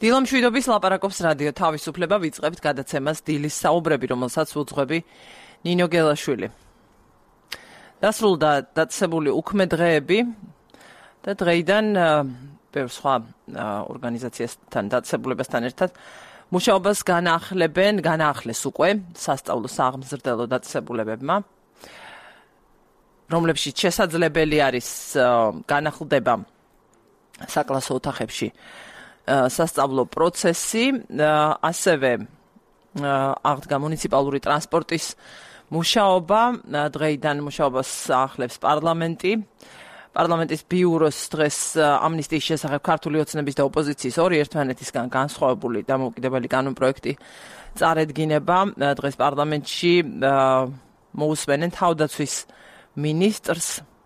დილამშვიდობის ლაპარაკობს რადიო თავისუფლება, ვიწყებთ გადაცემას დილის საუბრები, რომელსაც უძღვები ნინო გელაშვილი. დასრულდა დაწესებული უქმე დღეები და დღეიდან ბევრ სხვა ორგანიზაციასთან დაწესებულებასთან ერთად მუშაობას განაახლეს უკვე სასწავლო საღმრძლო დაწესებულებებმა, რომლებშიც შესაძლებელი არის განახლდება საკლასო ოთახებში სასწავლო პროცესი, ასევე აღდგა მუნიციპალური ტრანსპორტის მუშაობა, დღეიდან მუშაობას აახლებს პარლამენტის ბიუროს დღეს ამნისტიის შესახებ ქართული ოცნების და ოპოზიციის ორი ერთმანეთისგან განსხვავებული დამოუკიდებელი კანონპროექტი წარედგინება. დღეს პარლამენტში მოусვენენ თავდაცვის მინისტრს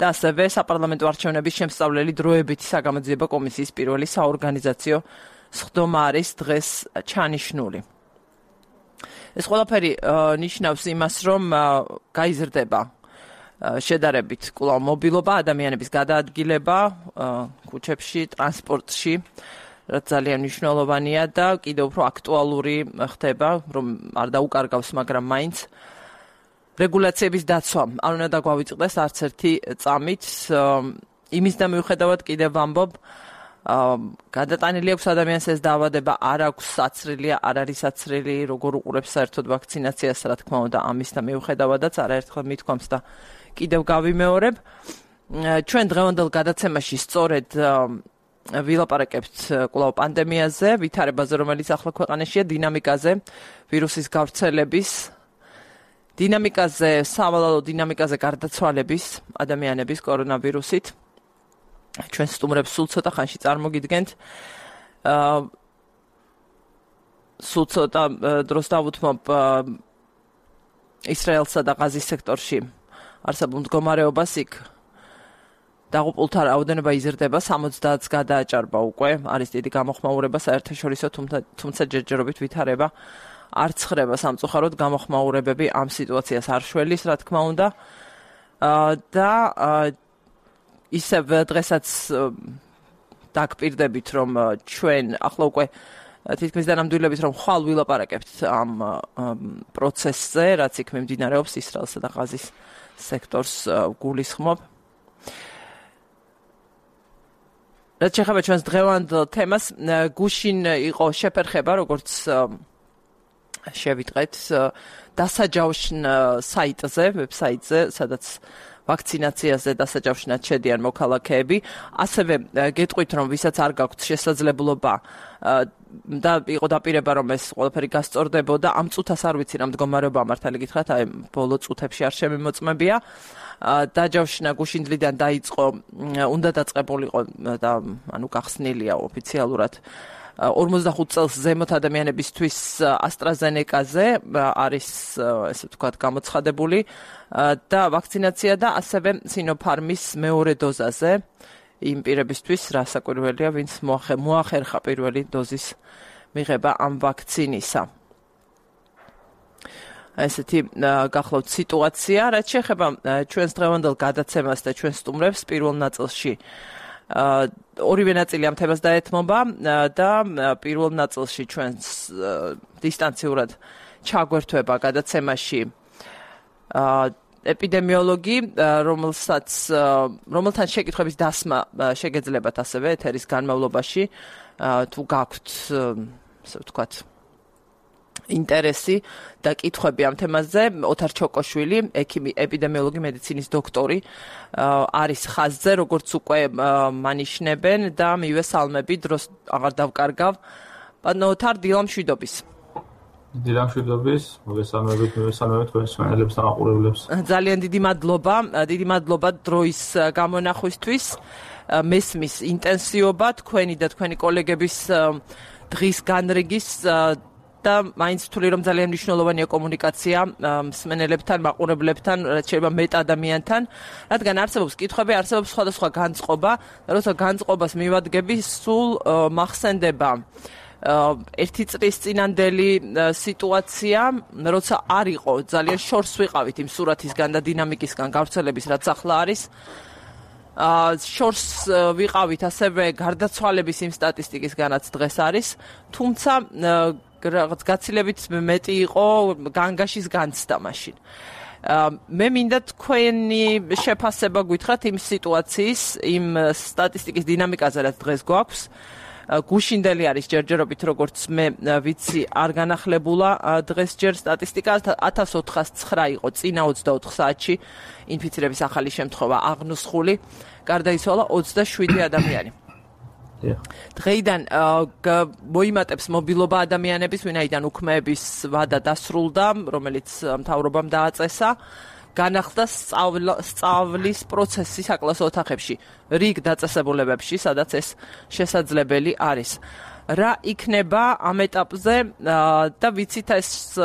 და ასევე საპარლამენტო არჩევნების შემსწავლელი დროებითი საგამოძიებო კომისიის პირველი საორგანიზაციო სხდომა არის დღეს ჩანიშნული. ეს ყველაფერი ნიშნავს იმას, რომ გაიზრდება შედარებით კვლავ მობილობა, ადამიანების გადაადგილება ქუჩებში, ტრანსპორტში, რაც ძალიან მნიშვნელოვანია და კიდევ უფრო აქტუალური ხდება, რომ არ დაუკარგავს, მაგრამ მაინც რეგულაციების დაცვა არ უნდა დაგვავიწყდეს არც ერთი წამით. იმის და მიუხედავად კიდევ ვამბობ, გადატანილი აქვს ადამიანს ეს დაავადება, არ აქვს საცრილია, არ არის საცრილი, როგორ უყურებს საერთოდ ვაქცინაციას, რა თქმა უნდა, ამის და მიუხედავადაც არაერთხელ მithქვამს და კიდევ გავიმეორებ. ჩვენ დღევანდელ გადაცემაში სწორედ ვილაპარაკებთ კვლავ პანდემიაზე, ვითარებაზე, რომელიც ახლა ქვეყანაშია, დინამიკაზე, ვირუსის გავრცელების დინამიკაზე, სავალალო დინამიკაზე გარდაცვალების ადამიანების კორონავირუსით. ჩვენ სტუმრებს სულ ცოტა ხანში წარმოგიდგენთ. სულ ცოტა დროს დავუთმობ ისრაელსა და ღაზის სექტორში არსებულ მდგომარეობას. იქ დაღუპულთა რაოდენობა იზრდება, 70-ს გადააჭარბა უკვე, არის დიდი გამოხმაურება საერთაშორისო, თუმცა ჯერჯერობით ვითარება არ ცხრება სამწუხაროდ, გამოხმაურებები ამ სიტუაციას არ შველის, რა თქმა უნდა. და ისევ დღესაც დაგპირდებით, რომ ჩვენ ახლა უკვე თითქმის დანამდვილებით, რომ ხვალ ვილაპარაკებთ ამ პროცესზე, რაც იქ მიმდინარეობს ისრაელსა და ღაზის სექტორს გულისხმობ. რაც შეეხება ჩვენს დღევანდელ თემას, გუშინ იყო შეფერხება, როგორც შევიტყეთ, დასაჯავშნ საიტზე, ვებსაიტზე, სადაც ვაქცინაციაზე დასაჯავშნად შედიან მოქალაქეები. ასევე გეტყვით, რომ ვისაც არ გაქვთ შესაძლებლობა და იყო დაპირება, რომ ეს ყველაფერი გასწორდებოდა, ამ წუთას არ ვიცი რა მდგომარეობა მართალი გითხრათ, აი ბოლო წუთებში არ შემიმოწმებია. დაჯავშნა გუშინდლიდან დაიწყო, უნდა დაწყებულიყო და ანუ გახსნილია ოფიციალურად 45 წელს ზემოთ ადამიანებისთვის AstraZeneca-ზე არის, ესე ვთქვათ, გამოცხადებული და ვაქცინაცია და ასევე Sinopharm-ის მეორე დოზაზე იმ პირებისთვის, რასაკვირველია, ვინც მოახერხა პირველი დოზის მიღება ამ ვაქცინისა. ესეთი გახლავთ სიტუაცია, რაც შეეხება ჩვენს დღევანდელ გადაცემას და ჩვენ სტუმრებს პირველ ნაწილში. ორივე ნაწილი ამ თემას დაეთმობა და პირველ ნაწილში ჩვენს დისტანციურად ჩაგვერთვება გადაცემაში ეპიდემიოლოგი, რომელთან შეკითხვების დასმა შეგეძლებათ ასევე ეთერის განმავლობაში, თუ გაქვთ, ასე ვთქვათ, ინტერესი და კითხვები ამ თემაზე. ოთარ ჩოკოშვილი, ექიმი, ეპიდემიოლოგი, მედიცინის დოქტორი, არის ხაზზე, როგორც უკვე მანიშნებენ და მივესალმები, დროს აღარ დავკარგავ. პანო ოთარ, დილამშვიდობის. დილამშვიდობის, მოგესალმებით თქვენს მსმენელებს და მაყურებლებს. ძალიან დიდი მადლობა დროის გამონახვისთვის. მესმის ინტენსივობა თქვენი და თქვენი კოლეგების დღის განრიგის და მაინც ვთვლი, რომ ძალიან მნიშვნელოვანია კომუნიკაცია მსმენელებთან, მაყურებლებთან, რაც შეიძლება მეტ ადამიანთან, რადგან არსებობს კითხვები, არსებობს სხვადასხვა განწყობა და როცა განწყობას მივადგები, სულ მახსენდება ერთი წლის წინანდელი სიტუაცია, როცა არ იყო ძალიან შორს ვიყავით იმ სურათისგან და დინამიკისგან გავრცელების, რაც ახლა არის. შორს ვიყავით ასევე გარდაცვალების იმ სტატისტიკისგანაც დღეს არის, თუმცა რაღაც გაცილებით მეტი იყო განგაშის განცდა მაშინ. მე მინდა თქვენი შეფასება გითხრათ იმ სიტუაციის, იმ სტატისტიკის დინამიკაზე, რაც დღეს გვაქვს. გუშინდელი არის ჯერჯერობით, როგორც მე ვიცი, არ განახლებულა დღეს ჯერ სტატისტიკა 1409 იყო წინა 24 საათში ინფიცირების ახალი შემთხვევა აღნუსხული, გარდაიცვალა 27 ადამიანი. დღეიდან მოიმატებს მობილობა ადამიანების, ვინაიდან უქმეების ვადა დასრულდა, რომელიც მთავრობამ დააწესა. განახლდა სწავლის პროცესი საკლასო ოთახებში, რიგ დაწესებულებებში, სადაც ეს შესაძლებელი არის. რა იქნება ამ ეტაპზე და ვიცით ეს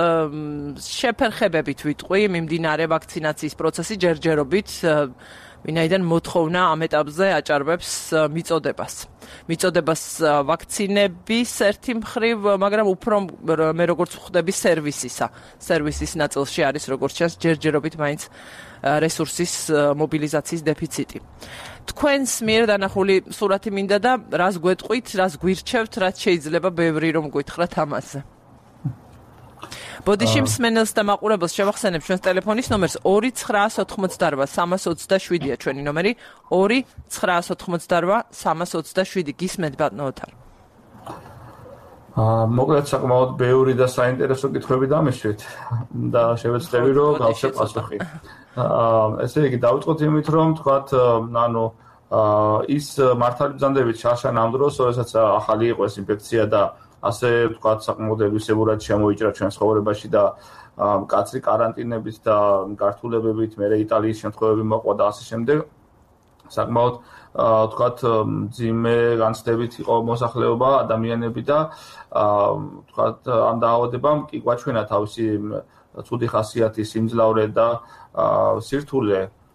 შეფერხებებით ვიტყვი, მიმდინარე ვაქცინაციის პროცესი ჯერჯერობით, ვინაიდან მოთხოვნა ამ ეტაპზე აჭარბებს მიწოდებას ვაქცინების ერთი მხრივ, მაგრამ უფრო მე როგორც ვხვდები სერვისის ნაწილში არის როგორც ჩანს ჯერჯერობით მაინც რესურსის მობილიზაციის დეფიციტი. თქვენს მიერ დანახული სურათი მინდა და რას გვეტყვით, რას გვირჩევთ, რაც შეიძლება ბევრი რომ გითხრათ ამაზე. ბოდიში მსმენელს და მაყურებელს შევახსენებ ჩვენს ტელეფონის ნომერს 2988327-ია ჩვენი ნომერი 2988327. გისმენთ ბატონო ოთარ. მოკლედ საკმაოდ ბევრი და საინტერესო კითხვები დამისვით და შევეცდები რომ გავხსნათ პასუხი. ესე იგი დავიწყოთ იმით რომ თქვათ ის მართალი ბრძანდებით შარშა ამ დროს, როდესაც ახალი იყო ეს ინფექცია და ასე ვთქვათ, საკმაოდ ელვისებურად შემოიჭრა ჩვენ ცხოვრებაში და მკაცრი კარანტინებით და გართულებებით, მერე იტალიის შემთხვევები მოყვა და ასე შემდეგ. საკმაოდ ვთქვათ, მძიმე განცდებით იყო მოსახლეობა, ადამიანები და ვთქვათ, ამ დაავადებამ კი გვაჩვენა თავისი ცუდი ხასიათი, სიმძლავრე და სირთულე.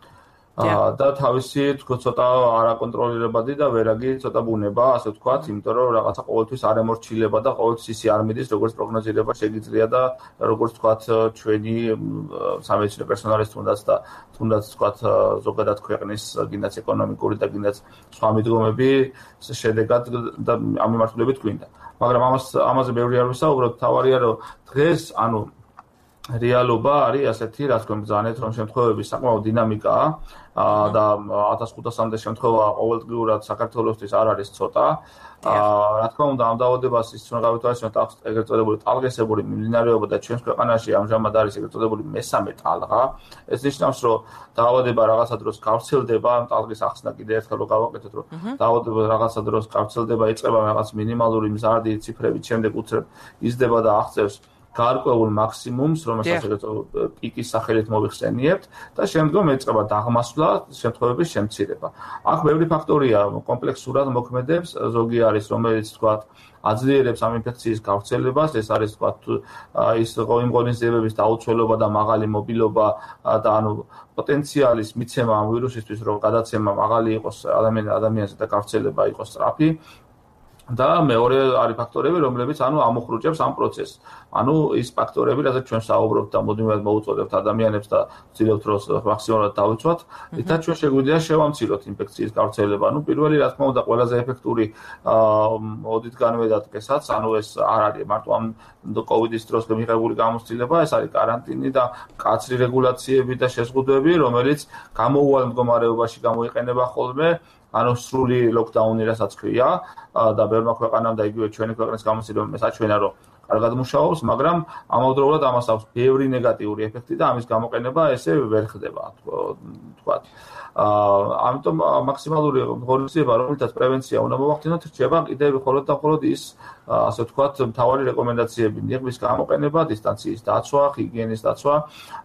და თავისი ცოტა არაკონტროლირებადი და ვერაგი ცოტა ბუნება, ასე ვთქვათ, იმიტომ რომ რაღაცა ყოველთვის არ ემორჩილება და ყოველთვის ისი არ მიდის, როგორც პროგნოზირება შეგიძლია და როგორც ვთქვათ, ჩვენი სამედიცინო პერსონალის თუნდაც ვთქვათ, ზოგადად ქვეყნის გინდაც ეკონომიკური და გინდაც სხვა მიდგომები შედეგად და ამ მიმართულებით გვინდა. მაგრამ ამაზე ბევრი არ ვისაუბროთ, თავარია რომ დღეს, რეალობა არის ასეთი, რაც გვემბრძანეთ, რომ შემთხვევების საკმაოდ დინამიკაა და 1500-მდე შემთხვევა ყოველდღიურად საქართველოსთვის არ არის ცოტა. რა თქმა უნდა, ამ დაავადებას ის უნდა გავითვალისწინოთ ეგრეთ წოდებული ტალღისებური მიმდინარეობა და ჩვენს ქვეყანაში ამჟამად არის ეგრეთ წოდებული მესამე ტალღა. ეს ნიშნავს, რომ დაავადება რაღაცა დროს გავრცელდება, ტალღის ახსნა კიდევ ერთხელ რომ გავაკეთოთ, რომ დაავადება რაღაცა დროს გავრცელდება, იწყება რაღაც მინიმალური მზარდი ციფრებით, შემდეგ უცებ იზრდება და აღწევს გარკვეულ მაქსიმუმს, რომელსაც პიკის სახელით მოვიხსენიებთ და შემდგომ ეწყება დაღმასვლა, შემთხვევების შემცირება. აქ ბევრი ფაქტორია კომპლექსურად მოქმედებს, ზოგი არის, რომელიც თქვათ აძლიერებს ამ ინფექციის გავრცელებას, ეს არის თქვათ ის იმ ღონისძიებების დაუცველობა და მაღალი მობილობა და პოტენციალის მიცემა ამ ვირუსისთვის, რომ გადაცემა მაღალი იყოს ადამიანზე და გავრცელება იყოს სწრაფი. და მეორე არის ფაქტორები, რომლებიც ამოხრუჭებს ამ პროცესს. ის ფაქტორები, რაზეც ჩვენ საუბრობთ და მუდმივად მოუწოდებთ ადამიანებს და ვცდილობთ რომ მაქსიმალურად დავიცვათ, ითაც ჩვენ შეგვიძლია შევამციროთ ინფექციის გავრცელება. პირველი, რა თქმა უნდა, ყველაზე ეფექტური ოდითგანვე დადგესაც, ეს არ არის მარტო ამ კოვიდის დროს მიღებული გამოცდილება, ეს არის კარანტინი და მკაცრი რეგულაციები და შეზღუდვები, რომელიც გამოუვალ მდგომარეობაში გამოიყენება ხოლმე. სრული ლოკდაუნი, რასაც ქვია და ბევრმა ქვეყანამ და იგივე ჩვენი ქვეყნის გამოცდილებამ საჩვენა, რომ კარგად მუშაობს, მაგრამ ამავდროულად ამას აქვს ბევრი ნეგატიური ეფექტი და ამის გამოყენება ესე ვერ ხდება, თქვათ. ამიტომ მაქსიმალური ღონისძიება, რომელთაც პრევენცია უნდა მოვახდინოთ, რჩება კიდევ მხოლოდ და მხოლოდ ის, ასე ვთქვათ, მთავარი რეკომენდაციები, ნიღბის გამოყენება, დისტანციის დაცვა, ჰიგიენის დაცვა.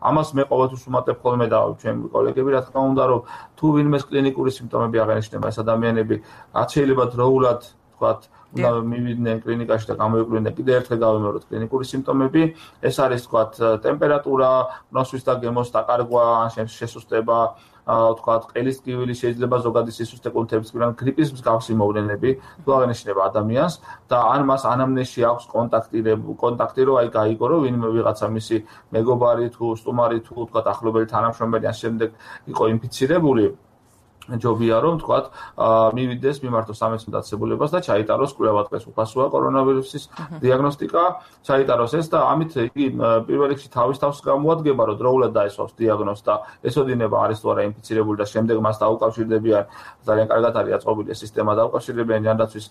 ამას მე ყოველთვის ვუმატებ ხოლმე და ჩვენი კოლეგები, რა თქმა უნდა, რომ თუ ვინმეს კლინიკური სიმპტომები აღენიშნება, ეს ადამიანები რაც შეიძლება დროულად, თქვათ, უნდა მივიდნენ კლინიკაში და გამოიკვლიდნენ კიდევ ერთხელ გავიმეოროთ კლინიკური სიმპტომები. ეს არის, თქვათ, ტემპერატურა, ნოსვის და გემოს დაკარგვა, შესუსტება, თქვათ, ყელის ტკივილი, შეიძლება ზოგადი სისუსტე კუნთების გვიან გრიპის მსგავსი მოვლენები თუ აღენიშნება ადამიანს და ან მას ანამნეზში აქვს კონტაქტი, რომ აი გაიგო, რომ ვინმე ვიღაცა მისი მეგობარი თუ სტუმარი თუ თქვათ ახლობელი თანამშრომელი ან შემდეგ იყო ინფიცირებული. ჯობია რომ თქვათ მივიდეს მიმართოს სამედიცინო დაწესებულებას და ჩაიტაროს კვლევა დღეს უფასოა კორონავირუსის დიაგნოსტიკა ჩაიტაროს ეს და ამით იგი პირველ რიგში თავის თავს გამოადგება რომ დროულად დაესვავს დიაგნოზს და ესოდინება არის თუ არა ინფიცირებული და შემდეგ მას დაუკავშირდებიან ძალიან კარგად არის აწყობილი ეს სისტემა დაუკავშირდებიან ჯანდაცვის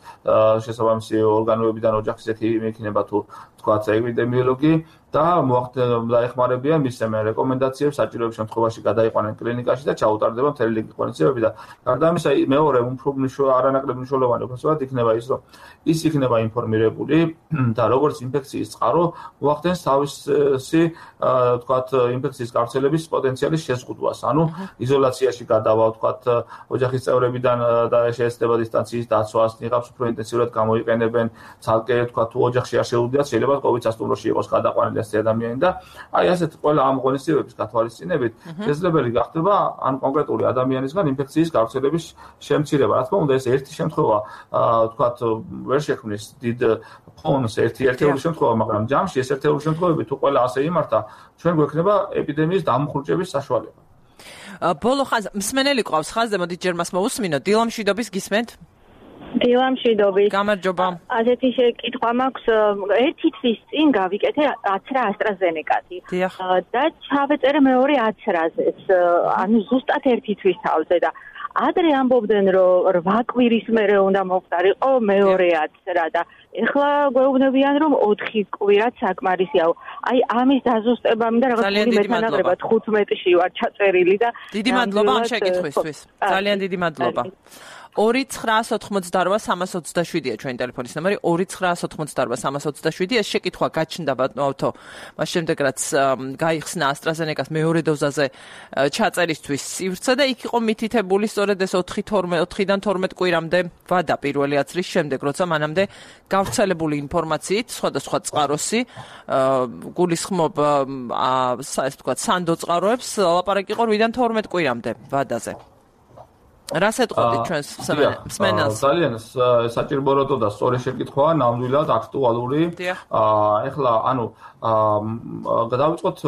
შესაბამისი ორგანოებიდან ოჯახის ექიმი თუ თქვათ ეპიდემიოლოგი და დაეხმარებიან მის რეკომენდაციებს საჭიროების შემთხვევაში გადაიყვანენ კლინიკაში და ჩაუტარდება მთელი რიგი ღონისძიებები და გარდა ამისა მეორე არანაკლებ მნიშვნელოვანი უბრალოდ იქნება ის რომ ის იქნება ინფორმირებული და როგორც ინფექციის წყარო მოახდენს თავისი თქვათ ინფექციის გავრცელების პოტენციალის შეზღუდვას ანუ იზოლაციაში გადავა თქვათ ოჯახის წევრებიდან და შეეცდება დისტანციის დაცვას ნიღაბს უფრო ინტენსიურად გამოიყენებენ ცალკე თქვათ თუ ოჯახში არ შეუძლიათ შეიძლება COVID სასტუმროში იყოს გადაყვანილი ადამიანი და აი ასეთ ყველა ამ ღონისძიებების გათვალისწინებით შესაძლებელი გახდება ან კონკრეტული ადამიანისგან ინფექციის გავრცელების შემცირება. რა თქმა უნდა ეს ერთი შემთხვევა თქვათ ვერ შექმნის დიდ ფონს ერთეული შემთხვევა, მაგრამ ჯამში ეს ერთეული შემთხვევები თუ ყველა ასე იმართა, ჩვენ გვექნება ეპიდემიის დამხურჭების საშუალება. ბოლო ხანს მსმენელი ყავს ხაზზე, მოდით ჯერ მას მოусმინოთ. დილა მშვიდობის გისმენთ? დილა მშვიდობის. გამარჯობა. ასეთი შეკითხვა მაქვს, ერთი თვის წინ გავიკეთე 10 AstraZeneca-ი. და ჩავეწერე მეორე 10-რაზეც. ანუ ზუსტად ერთი თვის თავზე და ადრე ამბობდნენ რომ 8 კვირის მერე უნდა მოვყარიყო მეორე 10 და ეხლა გვეუბნებიან რომ 4 კვირაც საკმარისია. აი ამის დაზუსტება მინდა რაღაც მეთანაყრება 15-ში ვარ ჩაწერილი და დიდი მადლობა ამ შეკითხვისთვის. ძალიან დიდი მადლობა. 2988327-ია ჩვენი ტელეფონის ნომერი 2988327 ეს შეკითხვა გაჩნდა ბატონო მას შემდეგ რაც გაიხსნა AstraZeneca-ს მეორე დოზაზე ჩაწერისთვის სივრცე და იქ იყო მითითებული სწორედ ეს 4-დან 12 კვირამდე ვადა პირველი აცრის შემდეგ როცა მანამდე გავრცელებული ინფორმაციით სხვადასხვა წყაროსი გულისხმობ ასე ვთქვათ სანდო წყაროებს ლაპარაკი იყო 8-დან 12 კვირამდე ვადაზე რას ეტყობთ ჩვენს მსმენელს? ძალიან საჭიროა და სწორი შეკითხვაა, ნამდვილად აქტუალური. ეხლა ანუ დავიწყოთ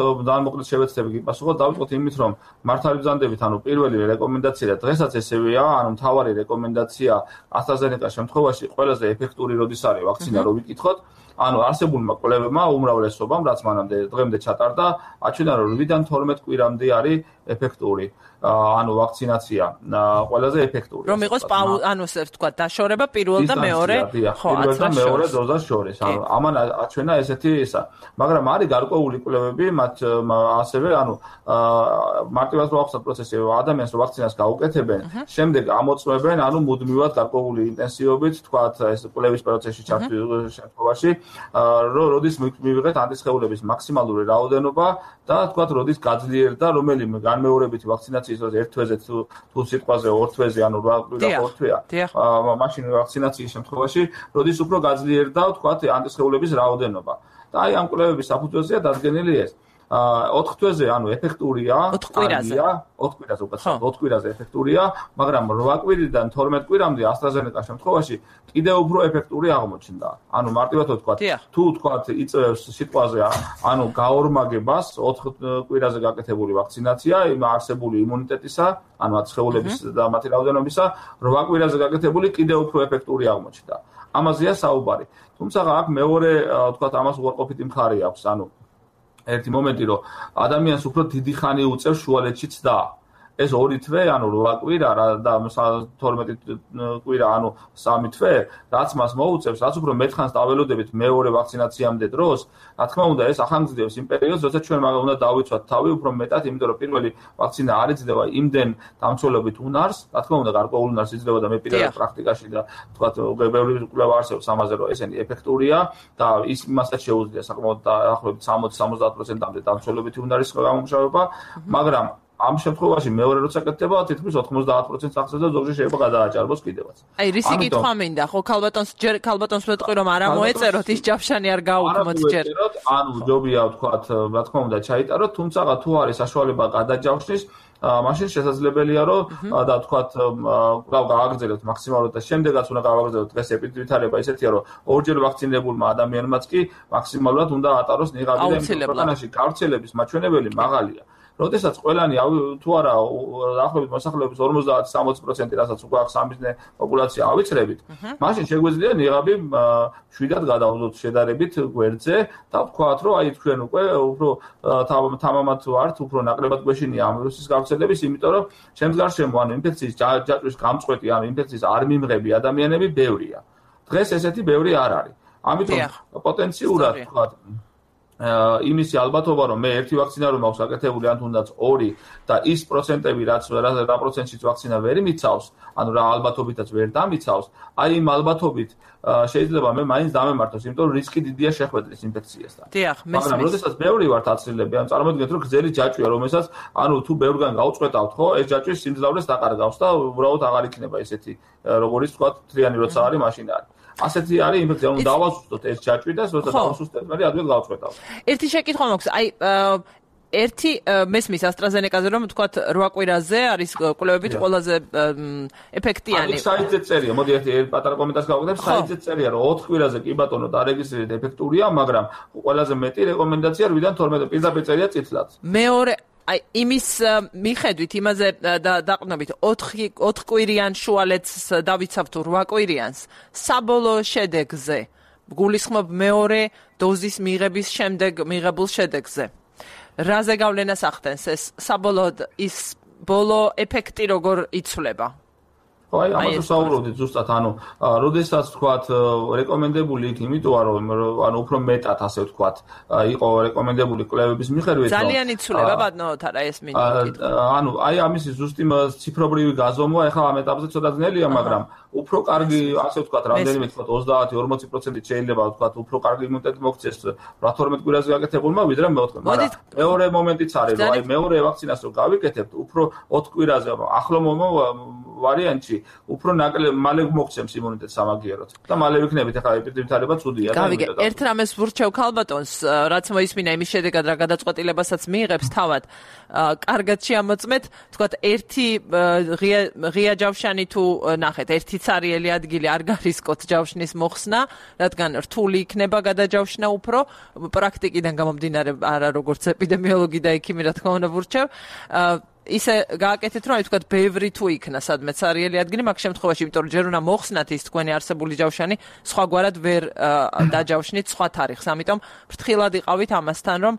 მოკლედ შევეცდები გიპასუხოთ, დავიწყოთ იმით რომ მართალი ბრძანდებით, ანუ პირველი რეკომენდაცია და დღესაც ესევეა, ანუ მთავარი რეკომენდაცია AstraZeneca-ის შემთხვევაში ყველაზე ეფექტური როდის არის ვაქცინა რო ვიკითხოთ. ანუ არსებულმა კვლევებმა უმრავლესობამ რაც მანამდე დღემდე ჩატარდა, აჩვენა რომ 8-დან 12 კვირამდე არის ეფექტური. ანუ ვაქცინაცია ყველაზე ეფექტური. რომ იყოს ანუ ესე ვთქვა დაშორება პირველ და მეორე პირველ და მეორე დოზას შორის. ანუ ამან აჩვენა ესეთი ისა. მაგრამ არის გარკვეული კვლევები, მათ ასევე ანუ მარტივად ვახსოვთ პროცესი ადამიანს რომ ვაქცინას გაუკეთებენ, შემდეგ ამოწმებენ ანუ მუდმივად გარკვეული ინტენსივობით, თქვათ ეს კვლევის პროცესში ჩართვის შემთხვევაში, როდის მივიღეთ ანტისხეულების მაქსიმალური რაოდენობა და თქვათ როდის გაძლიერდა რომელიმე განმეორებითი ვაქცინაციის დროს ერთ თვეზე თუ სიტყვაზე ორ თვეზე ანუ 8 კვირა ორ თვეა. მაშინ ვაქცინაციის შემთხვევაში როდის უფრო გაძლიერდა თქვათ ანტისხეულების რაოდენობა. და აი ამ კვლევების საფუძველზეა დადგენილი ეს. 4 თვეზე ანუ ეფექტურია, 4 კვირაზე უკაცრავად 4 კვირაზე ეფექტურია, მაგრამ 8 კვირიდან 12 კვირამდე AstraZeneca შემთხვევაში კიდევ უფრო ეფექტური აღმოჩნდა. ანუ მარტივად ვთქვათ, თუ თქვათ იწევს სიტყვაზე, ანუ გაორმაგებას 4 კვირაზე გაკეთებული ვაქცინაცია იმ არსებული იმუნიტეტისა, ანუ აცხოვლების და მათი რაოდენობისა, 8 კვირაზე გაკეთებული კიდევ უფრო ეფექტური აღმოჩნდა. ამაზეა საუბარი. თუმცა აქ მეორე თქვათ ამას უარყოფითი მხარე აქვს, ანუ ერთი მომენტი რომ ადამიანს უფრო დიდი ხანი უწევს შუალედში ცდა. ეს 2 თვე, ანუ 8 კვირა და 12 კვირა, ანუ 3 თვე, რაც მას მოუწევს, რაც უფრო მეტხანს დაველოდებით მეორე ვაქცინაციამდე დროს, რა თქმა უნდა, ეს ახანგრძლივებს იმ პერიოდს, როცა ჩვენ უნდა დავიცვათ თავი უფრო მეტად, იმიტომ რომ პირველი ვაქცინა არ იძლევა იმდენ დამცველობით უნარს, რა თქმა უნდა, გარკვეულ უნარს იძლევა და მე პირადად პრაქტიკაში და თქვათ, ბევრი კვლევა არსებობს ამაზე, რომ ესენი ეფექტურია და ის იმასაც შეუძლია საკმაოდ დაახლოებით 60-70%-მდე დამცველობითი უნარის გამომუშავება, მაგრამ ამ შემთხვევაში მეორე როცა კეთდება თითქმის 90% აღწევს და ზოგჯერ შეიძლება გადააჭარბოს კიდევაც. აი რისი კითხვა მინდა, ხო ქალბატონს ვეთყვი რომ არ ამოეწეროთ ის ჯავშანი არ გაუქმოთ ჯერ. ანუ ჯობია ვთქვათ, რა თქმა უნდა ჩაიტაროთ, თუმცა თუ არის საშუალება გადაჯავშნის, მაშინ შესაძლებელია რომ და ვთქვათ გავაგრძელოთ მაქსიმალურად და შემდეგაც უნდა გავაგრძელოთ დღეს ეპიდემიოლოგია ისეთია რომ ორჯერ ვაქცინებულმა ადამიანმაც კი მაქსიმალურად უნდა ატაროს ნიღაბი და ქვეყანაში გავრცელების მაჩვენებელი მაღალია. როდესაც ყველანი თუ არა დაახლოებით მოსახლეობის 50-60%, რასაც უკვე აქვს სამიზნე პოპულაცია ავიცრებით, მაშინ შეგვიძლია ნიღაბი შვიდად გადავდოთ შედარებით გვერდზე და ვთქვათ, რომ აი თქვენ უკვე უფრო თამამად ვართ, უფრო ნაკლებად გვეშინია ამ ვირუსის გავრცელების, იმიტომ რომ ჩემს გარშემო ანუ ინფექციის ჯაჭვის გამწყვეტი ან ინფექციის არ მიმღები ადამიანები ბევრია. დღეს ესეთი ბევრი არ არის. ამიტომ პოტენციურად ვთქვათ იმისი ალბათობა რომ მე ერთი ვაქცინა რომ მაქვს გაკეთებული ან თუნდაც ორი და ის პროცენტები რაც რა პროცენტშიც ვაქცინა ვერ მიცავს, ანუ რა ალბათობითაც ვერ დამიცავს, აი იმ ალბათობით შეიძლება მე მაინც დამემართოს, იმიტომ რომ რისკი დიდია შეხვედრის ინფექციასთან. მაგრამ როდესაც ბევრი ვართ აცილები, ან წარმოიდგინეთ რომ გრძელი ჯაჭვია, რომელსაც ანუ თუ ბევრგან გავწყვეტავთ, ხო, ეს ჯაჭვი სიმძლავრეს დაყარგავს და უბრალოდ აღარ იქნება ესეთი როგორიც თქვა თლიანი როცა არის მაშინ არის. ასეთი არის ინფექცია, ანუ დავასუსტოთ ეს ჯაჭვი და როცა დავასუსტეთ, მე ადვილ გავწყვეტავ. ერთი შეკითხვა მაქვს, აი ერთი მესმის AstraZeneca-ზე რომ თქვათ 8 კვირაზე არის კვლევებით ყველაზე ეფექტიანი. აი საიტზე წერია, მოდი ერთი პატარა კომენტარს გავაკეთებ, საიტზე წერია რომ 4 კვირაზე კი ბატონო დარეგისტრირეთ ეფექტურია, მაგრამ ყველაზე მეტი რეკომენდაცია 8-დან 12 პირდაპირ წერია წითლად. მეორე აი იმის მიხედვით იმაზე დაყრდნობით 4 კვირიან შუალედს დავიცავთ 8 კვირიანს საბოლოო შედეგზე გულისხმობ მეორე დოზის მიღების შემდეგ მიღებულ შედეგზე რაზე გავლენას ახდენს ეს საბოლოოდ ის ბოლო ეფექტი როგორ იცვლება აი ამაზე საუბრობდით ზუსტად ანუ როდესაც თქვათ რეკომენდებული იქ იმიტომ რომ ანუ უფრო მეტად ასე ვთქვათ იყო რეკომენდებული კვლევების მიხედვით ძალიან იცვლება ბატონოთ არა ეს მინდა ანუ აი ამის ზუსტი ციფრობრივი გაზომვა ეხლა ამ ეტაპზე ცოტა ძნელია მაგრამ უფრო კარგი ასე ვთქვათ რამდენიმე თქვათ 30-40% შეიძლება ვთქვათ უფრო კარგი იმუნიტეტი მოქცეს 12 კვირაზე გაკეთებულმა ვიდრე მეოთხე მაგრამ მეორე მომენტიც არის რომ აი მეორე ვაქცინას რო გავიკეთებთ უფრო 4 კვირაზე ახლო ვარიანტში უფრო მალე მოგცემს იმუნიტეტს სამაგიეროდ და მალე ვიქნებით ახლა ეპიდემიოლოგია ცუდია და გავიგე ერთ რამეს ვურჩევ ქალბატონს რაც მოისმინა იმის შედეგად რა გადაწყვეტილებასაც მიიღებს თავად კარგად შეამოწმეთ თქვათ ერთი ღია ჯავშანი თუ ნახეთ ერთი цаრიელი ადგილი არ გარისკოთ ჯავშნის მოხსნა რადგან რთული იქნება გადაჯავშნა უფრო პრაქტიკიდან გამომდინარე არა როგორც ეპიდემიოლოგი და ექიმი რა თქმა უნდა ვურჩევ ისე გააკეთეთ რომ აი თქვათ ბევრი თუ იქნა სადმე цаრიელი ადგილი მაგ შემთხვევაში იმიტომ რომ ჯერ უნდა მოხსნათ ის თქვენი არსებული ჯავშანი სხვაგვარად ვერ დაჯავშნით სხვა თარიღს ამიტომ ფრთხილად იყავით ამასთან რომ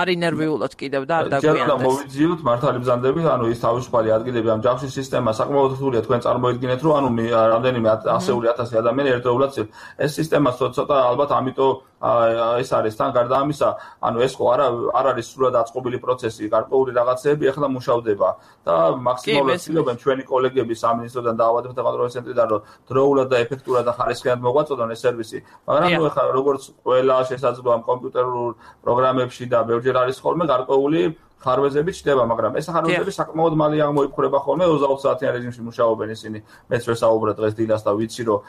არ ინერვიულოთ კიდევ და არ დაგვიანდეს ჯერ უნდა მოვიძიოთ მართალი ბრძანდები ანუ ის თავისუფალი ადგილები ამ ჯავშნის სისტემა საკმაოდ რთულია თქვენ წარმოიდგინეთ რომ ანუ რამდენიმე ასეული 1000 ადამიანი ერთდროულად ეს სისტემა ცოტა ალბათ ამიტომ ეს არის თან გარდა ამისა ანუ ეს ხო არ არის სრულად აწყობილი პროცესი გარკვეული რაღაცები ახლა მუშავდება და მაქსიმალურად ცდილობენ ჩვენი კოლეგები სამინისტროდან და ავადმთა კონტროლის ცენტრიდან რომ დროულად და ეფექტურად და ხარისხიან მოგვაწოდონ ეს სერვისი მაგრამ ნუ ახლა როგორც ყველა შესაძლოა კომპიუტერულ პროგრამებში და ბევრჯერ არის ხოლმე გარკვეული ხარვეზები ჩდება, მაგრამ ეს ხარვეზები საკმაოდ მალე აღმოიფხვრება ხოლმე 20 საათიან რეჟიმში მუშაობენ ისინი. მეც ვერ საუბრობ დღეს დილას და ვიცი რომ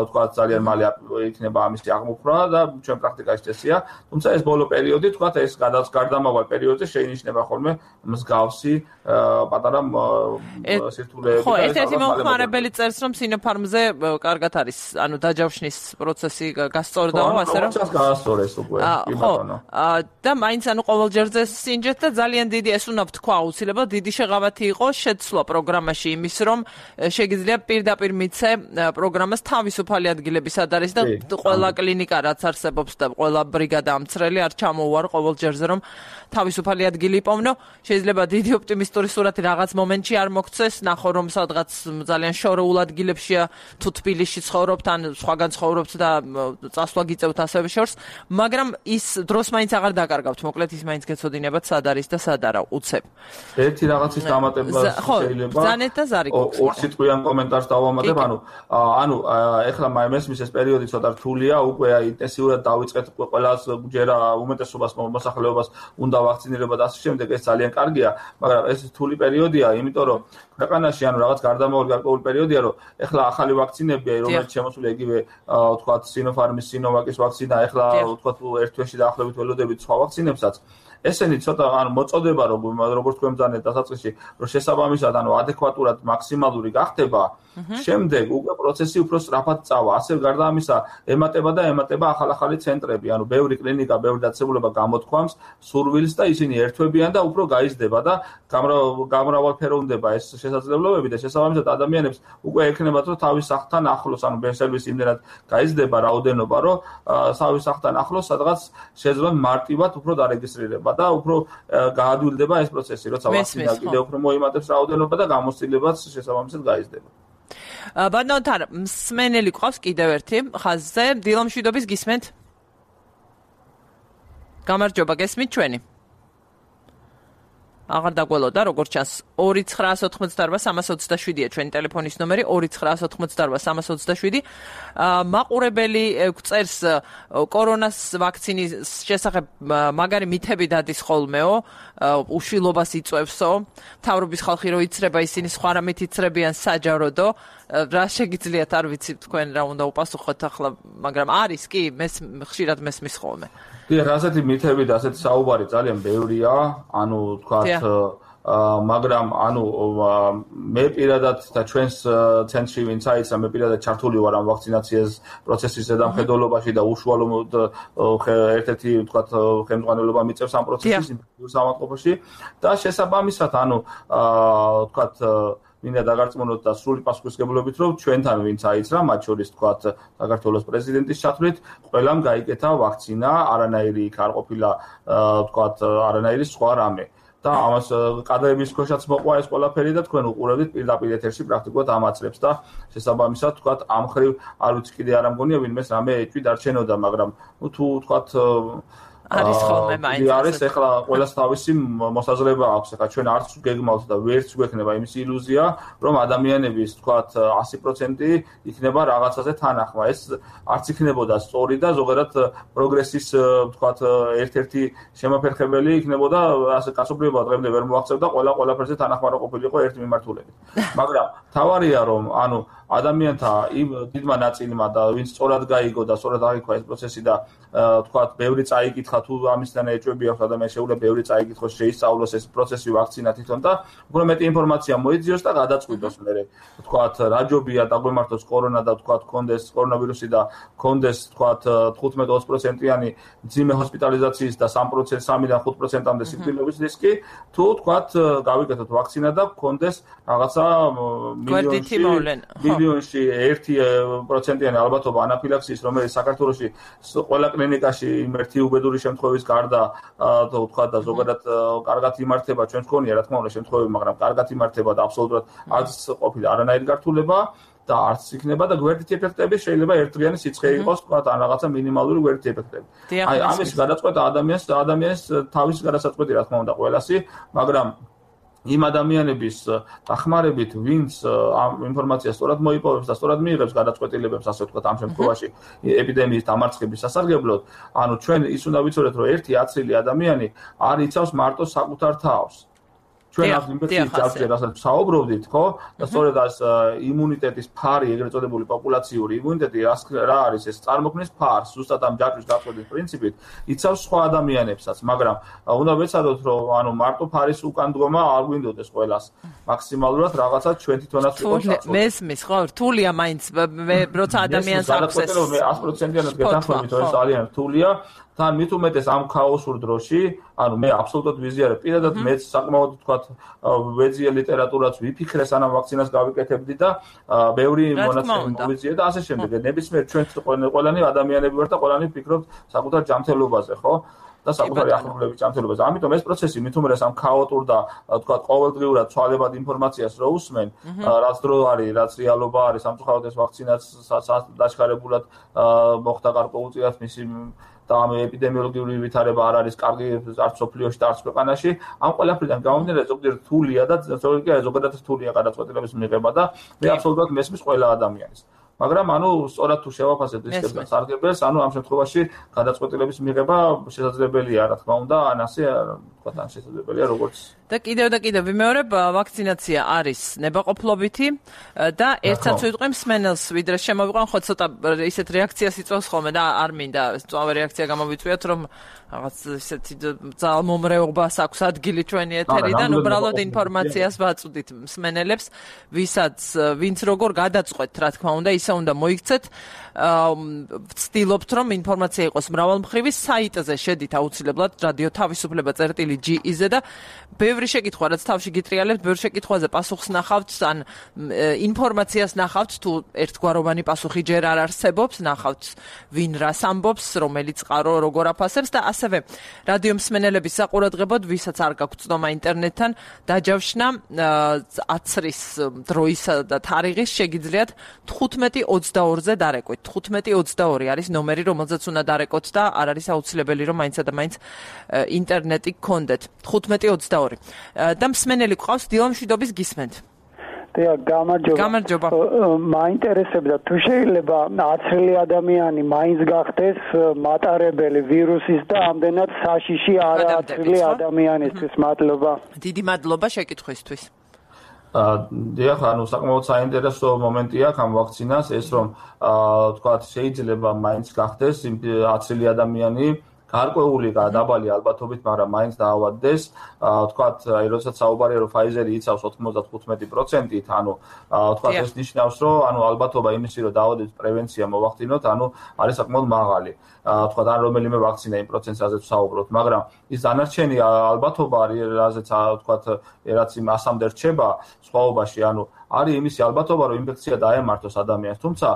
თქვა ძალიან მალე იქნება ამისი აღმოფხვრა და ჩვენ პრაქტიკაში წესია. თუმცა ეს ბოლო პერიოდი თქვა ეს გარდამავალ პერიოდზე შეინიშნება ხოლმე მსგავსი პატარა სირთულეები. ხო, ერთ-ერთი მომხმარებელი წერს რომ Sinopharm-ზე კარგად არის, ანუ დაჯავშნის პროცესი გასწორდა ასე რომ. ხო, გასწორეს უკვე. და მაინც ანუ ყოველჯერზე სინჯეთ და ძალიან დიდი ეს უნდა ვთქვა აუცილებლად დიდი შეღავათი იყო შეცვლა პროგრამაში იმის რომ შეგიძლია პირდაპირ მიცე პროგრამას თავისუფალი ადგილები სად არის და ყველა კლინიკა რაც არსებობს და ყველა ბრიგადა ამცრელი არ ჩამოუვარ ყოველ ჯერზე რომ თავისუფალი ადგილი იპოვნო შეიძლება დიდი ოპტიმისტური სურათი რაღაც მომენტში არ მოგცეს ნახო რომ სადღაც ძალიან შორეულ ადგილებშია თუ თბილისში ცხოვრობთ ან სხვაგან ცხოვრობთ და წასვლა გიწევთ ასევე შორს მაგრამ ის დროს მაინც აღარ დაკარგავთ მოკლედ ის მაინც გეცოდინებათ სად არის და სად არა უცებ. ერთი რაღაცის დამატება შეიძლება. ზანეთ და ზარი გვაქვს. ორ სიტყვიან კომენტარს დავამატებ, ანუ ეხლა მესმის ეს პერიოდი ცოტა რთულია, უკვე ინტენსიურად დავიწყეთ ყველას ჯერ უმეტესობას მოსახლეობას უნდა ვაქცინირება და ასე შემდეგ, ეს ძალიან კარგია, მაგრამ ეს რთული პერიოდია, იმიტომ რომ ქვეყანაში ანუ რაღაც გარდამავალი გარკვეული პერიოდია, რომ ეხლა ახალი ვაქცინებია, რომელიც შემოსული იგივე ვთქვათ Sinopharm-ის Sinovac-ის ვაქცინა, ეხლა ვთქვათ ერთ თვეში დაახლოებით ველოდებით სხვა ვაქცინებსაც. ესენი ცოტა ანუ მოწოდება როგორც თქვენ ბრძანეთ დასაწყისში, რომ შესაბამისად ანუ ადეკვატურად მაქსიმალური გახდება, შემდეგ უკვე პროცესი უფრო სწრაფად წავა. ასე გარდა ამისა, ემატება ახალ-ახალი ცენტრები, ანუ ბევრი კლინიკა, ბევრი დაწესებულება გამოთქვამს სურვილს და ისინი ერთვებიან და უფრო გაიზრდება და გამრავალფეროვნება ეს შესაძლებლობები და შესაბამისად ადამიანებს უკვე ექნებათ რომ თავის სახლთან ახლოს, ანუ ბენსერვის იმდენად გაიზრდება რაოდენობა, რომ თავის სახლთან ახლოს სადღაც შეძლონ მარტივად უფრო დარეგისტრირება და უფრო გაადვილდება ეს პროცესი, როცა ვაქცინა კიდევ უფრო მოიმატებს რაოდენობა და გამოცდილებაც შესაბამისად გაიზრდება. ბატონთან მსმენელი ყავს კიდევ ერთი ხაზზე, დილომშვიდობის გისმენთ. გამარჯობა, გესმით ჩვენი? აღარ დაგველოდა, როგორც ჩანს 2988327-ია ჩვენი ტელეფონის ნომერი 2988327. მაყურებელი გვწერს კორონას ვაქცინის შესახებ მაგარი მითები დადის ხოლმეო, უშვილობას იწვევსო, მთავრობის ხალხი რო იცრება, ისინი სხვა რამით იცრებიან საჯაროდო. რა შეგიძლიათ, არ ვიცი თქვენ რა უნდა უპასუხოთ ახლა, მაგრამ არის კი, ხშირად მესმის ხოლმე. დიახ, ასეთი მითები და ასეთი საუბარი ძალიან ბევრია, ანუ თქვათ მაგრამ ანუ მე პირადად და ჩვენს ცენტრში ვინც აიცა, მე პირადად ჩართული ვარ ამ ვაქცინაციის პროცესის ზედამხედველობაში და უშუალოდ ერთ-ერთი თქვათ ხელმძღვანელობა მიწევს ამ პროცესის სამართლობაში და შესაბამისად ანუ თქვათ მინდა დაგარწმუნოთ და სრული პასუხისმგებლობით, რომ ჩვენთან ვინც აიცრა, მათ შორის თქვათ საქართველოს პრეზიდენტის ჩათვლით, ყველამ გაიკეთა ვაქცინა, არანაირი იქ არ ყოფილა თქვათ არანაირი სხვა რამე. და ამას კადრების ქვეშაც მოყვა ეს ყველაფერი და თქვენ უყურებთ პირდაპირ ეთერში პრაქტიკულად ამაცრებს და შესაბამისად თქვათ ამ ხრივ არ ვიცი კიდე არ ამგონია ვინმეს რამე ეჭვი დარჩენოდა, მაგრამ თუ თქვათ არის ხოლმე მაინც არის ეხლა ყველას თავისი მოსაზრება აქვს. ეხლა ჩვენ არც გეგმავთ და ვერც გვექნება იმის ილუზია, რომ ადამიანების თქვათ 100% იქნება რაღაცაზე თანახმა. ეს არც იქნებოდა სწორი და ზოგადად პროგრესის თქვათ ერთ-ერთი შემოფერხებელი იქნებოდა, ასე კაცობრიობა დღემდე ვერ მოაღწევდა ყველაფერზე თანახმარა ყოფილიყო ერთ მიმართულებით. მაგრამ თავარია რომ ანუ ადამიანთა იმ დიდმა ნაწილმა და ვინც სწორად გაიგო და სწორად აღიქვა ეს პროცესი და თქვათ ბევრი წაიკითხა თუ ამისთან ეჭვები აქვს ადამიანს შეუძლია ბევრი წაიკითხოს შეისწავლოს ეს პროცესი ვაქცინა თვითონ და უფრო მეტი ინფორმაცია მოიძიოს და გადაწყვიტოს მერე თქვათ რა ჯობია დაგვემართოს კორონა და თქვათ კონდეს კორონავირუსი და კონდეს თქვათ 15-20%-იანი ძიმე ჰოსპიტალიზაციის და 3%-დან 5%-მდე სიკვდილების რისკი თუ თქვათ გავიკეთოთ ვაქცინა და კონდეს რაღაცა მილიონში 1%-იანი ალბათობა ანაფილაქსიის, რომელიც საქართველოში ყველა კლინიკაში ერთი უბედური შემთხვევის გარდა თქვა და ზოგადად კარგად იმართება, ჩვენს გქონია რა თქმა უნდა შემთხვევები, მაგრამ კარგად იმართება და აბსოლუტურად არც ყოფილა არანაირი გართულება და არც იქნება და გვერდითი ეფექტები შეიძლება ერთდღიანი სიცხე იყოს, თქვა ან რაღაცა მინიმალური გვერდითი ეფექტები. აი ამის გადაწყვეტა ადამიანის თავის გადასაწყვეტი რა თქმა უნდა ყველასი, მაგრამ იმ ადამიანების დახმარებით, ვინც ამ ინფორმაციას სწორად მოიპოვებს და სწორად მიიღებს გადაწყვეტილებებს, ასე ვთქვათ, ამ შემთხვევაში ეპიდემიის დამარცხების სასარგებლოდ, ანუ ჩვენ ის უნდა ვიცოდეთ, რომ ერთი აცილი ადამიანი არ იცავს მარტო საკუთარ თავს. ჩვენ ამ ინფექციის ჯარჯერ რასაც საუბრობდით, ხო? და სწორედ ეს იმუნიტეტის ფარი, ეგრეთ წოდებული პოპულაციური იმუნიტეტი, რა არის ეს წარმოქმნის ფარს, ზუსტად ამ ჯაჭვის გაწყვეტის პრინციპით, იცავს სხვა ადამიანებსაც, მაგრამ უნდა ვეცადოთ, რომ ანუ მარტო ფარის უკან დგომა არ გვინდოდეს ყველას. მაქსიმალურად რაღაცა ჩვენ თვითონაც ვიყოს საწოლი. მესმის, ხო? რთულია მაინც, როცა ადამიანს აქვს ეს 100%-იანად გეთანხმებით, ეს ძალიან რთულია. თან მით უმეტეს ამ ქაოსურ დროში, ანუ მე აბსოლუტურად ვიზიარებ, პირადად მეც საკმაოდ თქვათ ვეძიე ლიტერატურაც ვიფიქრე სანამ ვაქცინას გავიკეთებდი და ბევრი მონაცემი მოვიძიე და ასე შემდეგ. ნებისმიერ ჩვენ ყველანი ადამიანები ვართ და ყველანი ვფიქრობთ საკუთარ ჯანმრთელობაზე, ხო? და საკუთარი ახლობლების ჯანმრთელობაზე. ამიტომ ეს პროცესი მით უმეტეს ამ ქაოტურ და თქვათ ყოველდღიურად ცვალებად ინფორმაციას რო უსმენ, რაც დრო არის, რაც რეალობა არის, სამწუხაროდ ეს ვაქცინაც დაჩქარებულად მოხდა გარკვეულწილად მისი და ამ ეპიდემიოლოგიური ვითარება არ არის კარგი არც სოფლიოში და არც ქვეყანაში. ამ ყველაფრიდან გამომდინარე ზოგადად რთულია და ზოგადად რთულია გადაწყვეტილების მიღება და მე აბსოლუტურად მესმის ყველა ადამიანის. მაგრამ ანუ სწორად თუ შევაფასებთ რისკებს და სარგებელს, ანუ ამ შემთხვევაში გადაწყვეტილების მიღება შესაძლებელია, რა თქმა უნდა, ან ასე თქვა თან შესაძლებელია როგორც და კიდევ ვიმეორებ, ვაქცინაცია არის ნებაყოფლობითი და ერთსაც ვიტყვი მსმენელს, ვიდრე შემოვიყვან, ხო ცოტა ისეთ რეაქციას იწვევს ხოლმე და არ მინდა სწავე რეაქცია გამოვიწვიოთ, რომ რაღაც ისეთი ძალმომრეობას აქვს ადგილი ჩვენი ეთერიდან, უბრალოდ ინფორმაციას ვაწვდით მსმენელებს, ვინც როგორ გადაწყვეტთ, რა თქმა უნდა, ისე უნდა მოიქცეთ. ვცდილობთ, რომ ინფორმაცია იყოს მრავალმხრივი, საიტზე შედით აუცილებლად რადიო თავისუფლება.gi-ზე და ბევრი შეკითხვა, რაც თავში გიტრიალებთ, ბევრი შეკითხვაზე პასუხს ნახავთ, ან ინფორმაციას ნახავთ, თუ ერთგვაროვანი პასუხი ჯერ არ არსებობს, ნახავთ ვინ რას ამბობს, რომელიც წყარო როგორ აფასებს და ასევე რადიო მსმენელების საყურადღებოდ, ვისაც არ გაქვთ ცნობა ინტერნეტთან, დაჯავშნა აცრის დროისა და თარიღის შეგიძლიათ 15:22-ზე დარეკვით. 15:22 არის ნომერი, რომელზეც უნდა დარეკოთ და არ არის აუცილებელი, რომ მაინც და მაინც ინტერნეტი გქონდეთ. 15:22. და მსმენელი გვყავს, დილამშვიდობის გისმენთ. გამარჯობა. მაინტერესებდა თუ შეიძლება აცრილი ადამიანი მაინც გახდეს მატარებელი ვირუსის და ამდენად საშიში არაცრილი ადამიანისთვის. მადლობა. დიდი მადლობა შეკითხვისთვის. დიახ, საკმაოდ საინტერესო მომენტია ამ ვაქცინას, ეს რომ თქვათ შეიძლება მაინც გახდეს აცრილი ადამიანი, გარკვეული დაბალი ალბათობით, მაგრამ მაინც დაავადდეს. თქვათ, როდესაც საუბარია, რომ Pfizer-ი იცავს 95%-ით, თქვათ ეს ნიშნავს, რომ ალბათობა იმისი, რომ დაავადების პრევენცია მოვახდინოთ, არის საკმაოდ მაღალი. თქვათ, ან რომელიმე ვაქცინა იმ პროცენტზეც ვსაუბრობთ, მაგრამ ის დანარჩენი ალბათობა, რაზეც თქვათ, რაც იმ 100-მდე რჩება სხვაობაში, არის იმისი ალბათობა, რომ ინფექცია დაემართოს ადამიანს. თუმცა,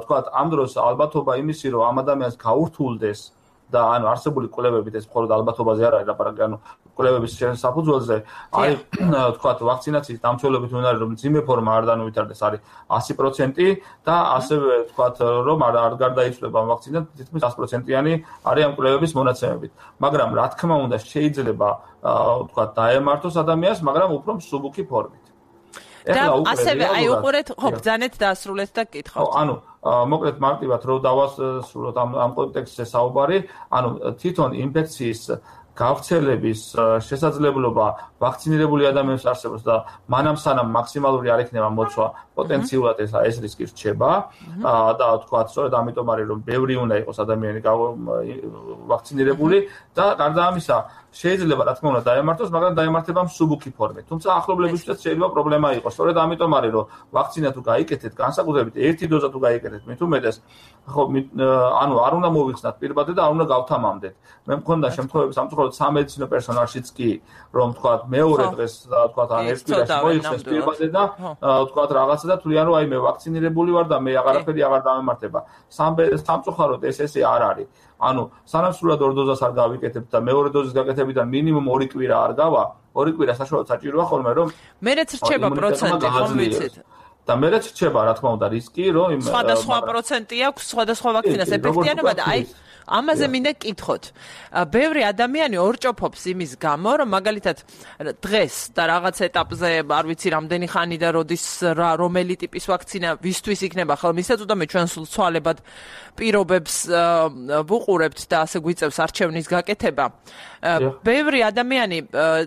თქვათ, ამ დროს ალბათობა იმისი, რომ ამ ადამიანს გაურთულდეს და არსებული კვლევებით ეს მხოლოდ ალბათობაზე არ არის ლაპარაკი, კვლევების საფუძველზე არის თქვათ ვაქცინაციის დამცველობით უნდა რომ მძიმე ფორმა არ დაუვითარდეს არის 100% და ასევე თქვათ რომ არ გარდაიცვლება ამ ვაქცინამ თითქმის 100%-იანი არის ამ კვლევების მონაცემებით. მაგრამ რა თქმა უნდა შეიძლება თქვათ დაემართოს ადამიანს, მაგრამ უფრო მსუბუქი ფორმით. და ასევე უყურეთ, ხო, ბრძანეთ დაასრულეთ და კითხავთ. მოკლედ მარტივად რო დავასრულოთ ამ კონტექსტზე საუბარი, თვითონ ინფექციის გავრცელების შესაძლებლობა ვაქცინირებული ადამიანებს არსებობს და მანამ სანამ მაქსიმალური არ იქნება მოცვა, პოტენციურად ეს რისკი რჩება და თქვათ, სწორედ ამიტომ არის რომ ბევრი უნდა იყოს ადამიანი ვაქცინირებული და გარდა ამისა შეიძლება რა თქმა უნდა დაემართოს, მაგრამ დაემართება მსუბუქი ფორმით. თუმცა ახლობლებისთვის შეიძლება პრობლემა იყოს. სწორედ ამიტომ არის რომ ვაქცინა თუ გაიკეთეთ, განსაკუთრებით ერთი დოზა თუ გაიკეთეთ, მით უმეტეს ხო არ უნდა მოვიხსნათ პირბადე და არ უნდა გავთამამდეთ. მე მქონდა შემთხვევები სამწუხაროდ სამედიცინო პერსონალშიც კი, რომ თქვათ მეორე დღეს თქვათ ერთ კვირაში მოიხსნეს პირბადე და თქვათ რაღაცა და თვლიან რომ მე ვაქცინირებული ვარ და მე აღარაფერი აღარ დამემართება. სამწუხაროდ ესე არ არის. სანამ სრულად ორ დოზას არ გავიკეთებთ და მეორე დოზის გაკეთებიდან მინიმუმ 2 კვირა არ გავა, 2 კვირა საშუალოდ საჭიროა ხოლმე რომ მერეც რჩება პროცენტი, ხომ ვიცით? და მერეც რჩება რა თქმა უნდა რისკი, რომ სხვადასხვა პროცენტი აქვს სხვადასხვა ვაქცინას ეფექტიანობა და ამაზე მინდა კითხოთ. ბევრი ადამიანი ორჭოფობს იმის გამო, რომ მაგალითად დღეს და რაღაც ეტაპზე, არ ვიცი რამდენი ხანი და როდის რომელი ტიპის ვაქცინა ვისთვის იქნება ხელმისაწვდომი, ჩვენ სულ ცვალებად პირობებს ვუყურებთ და ასე გვიწევს არჩევნის გაკეთება. ბევრი ადამიანი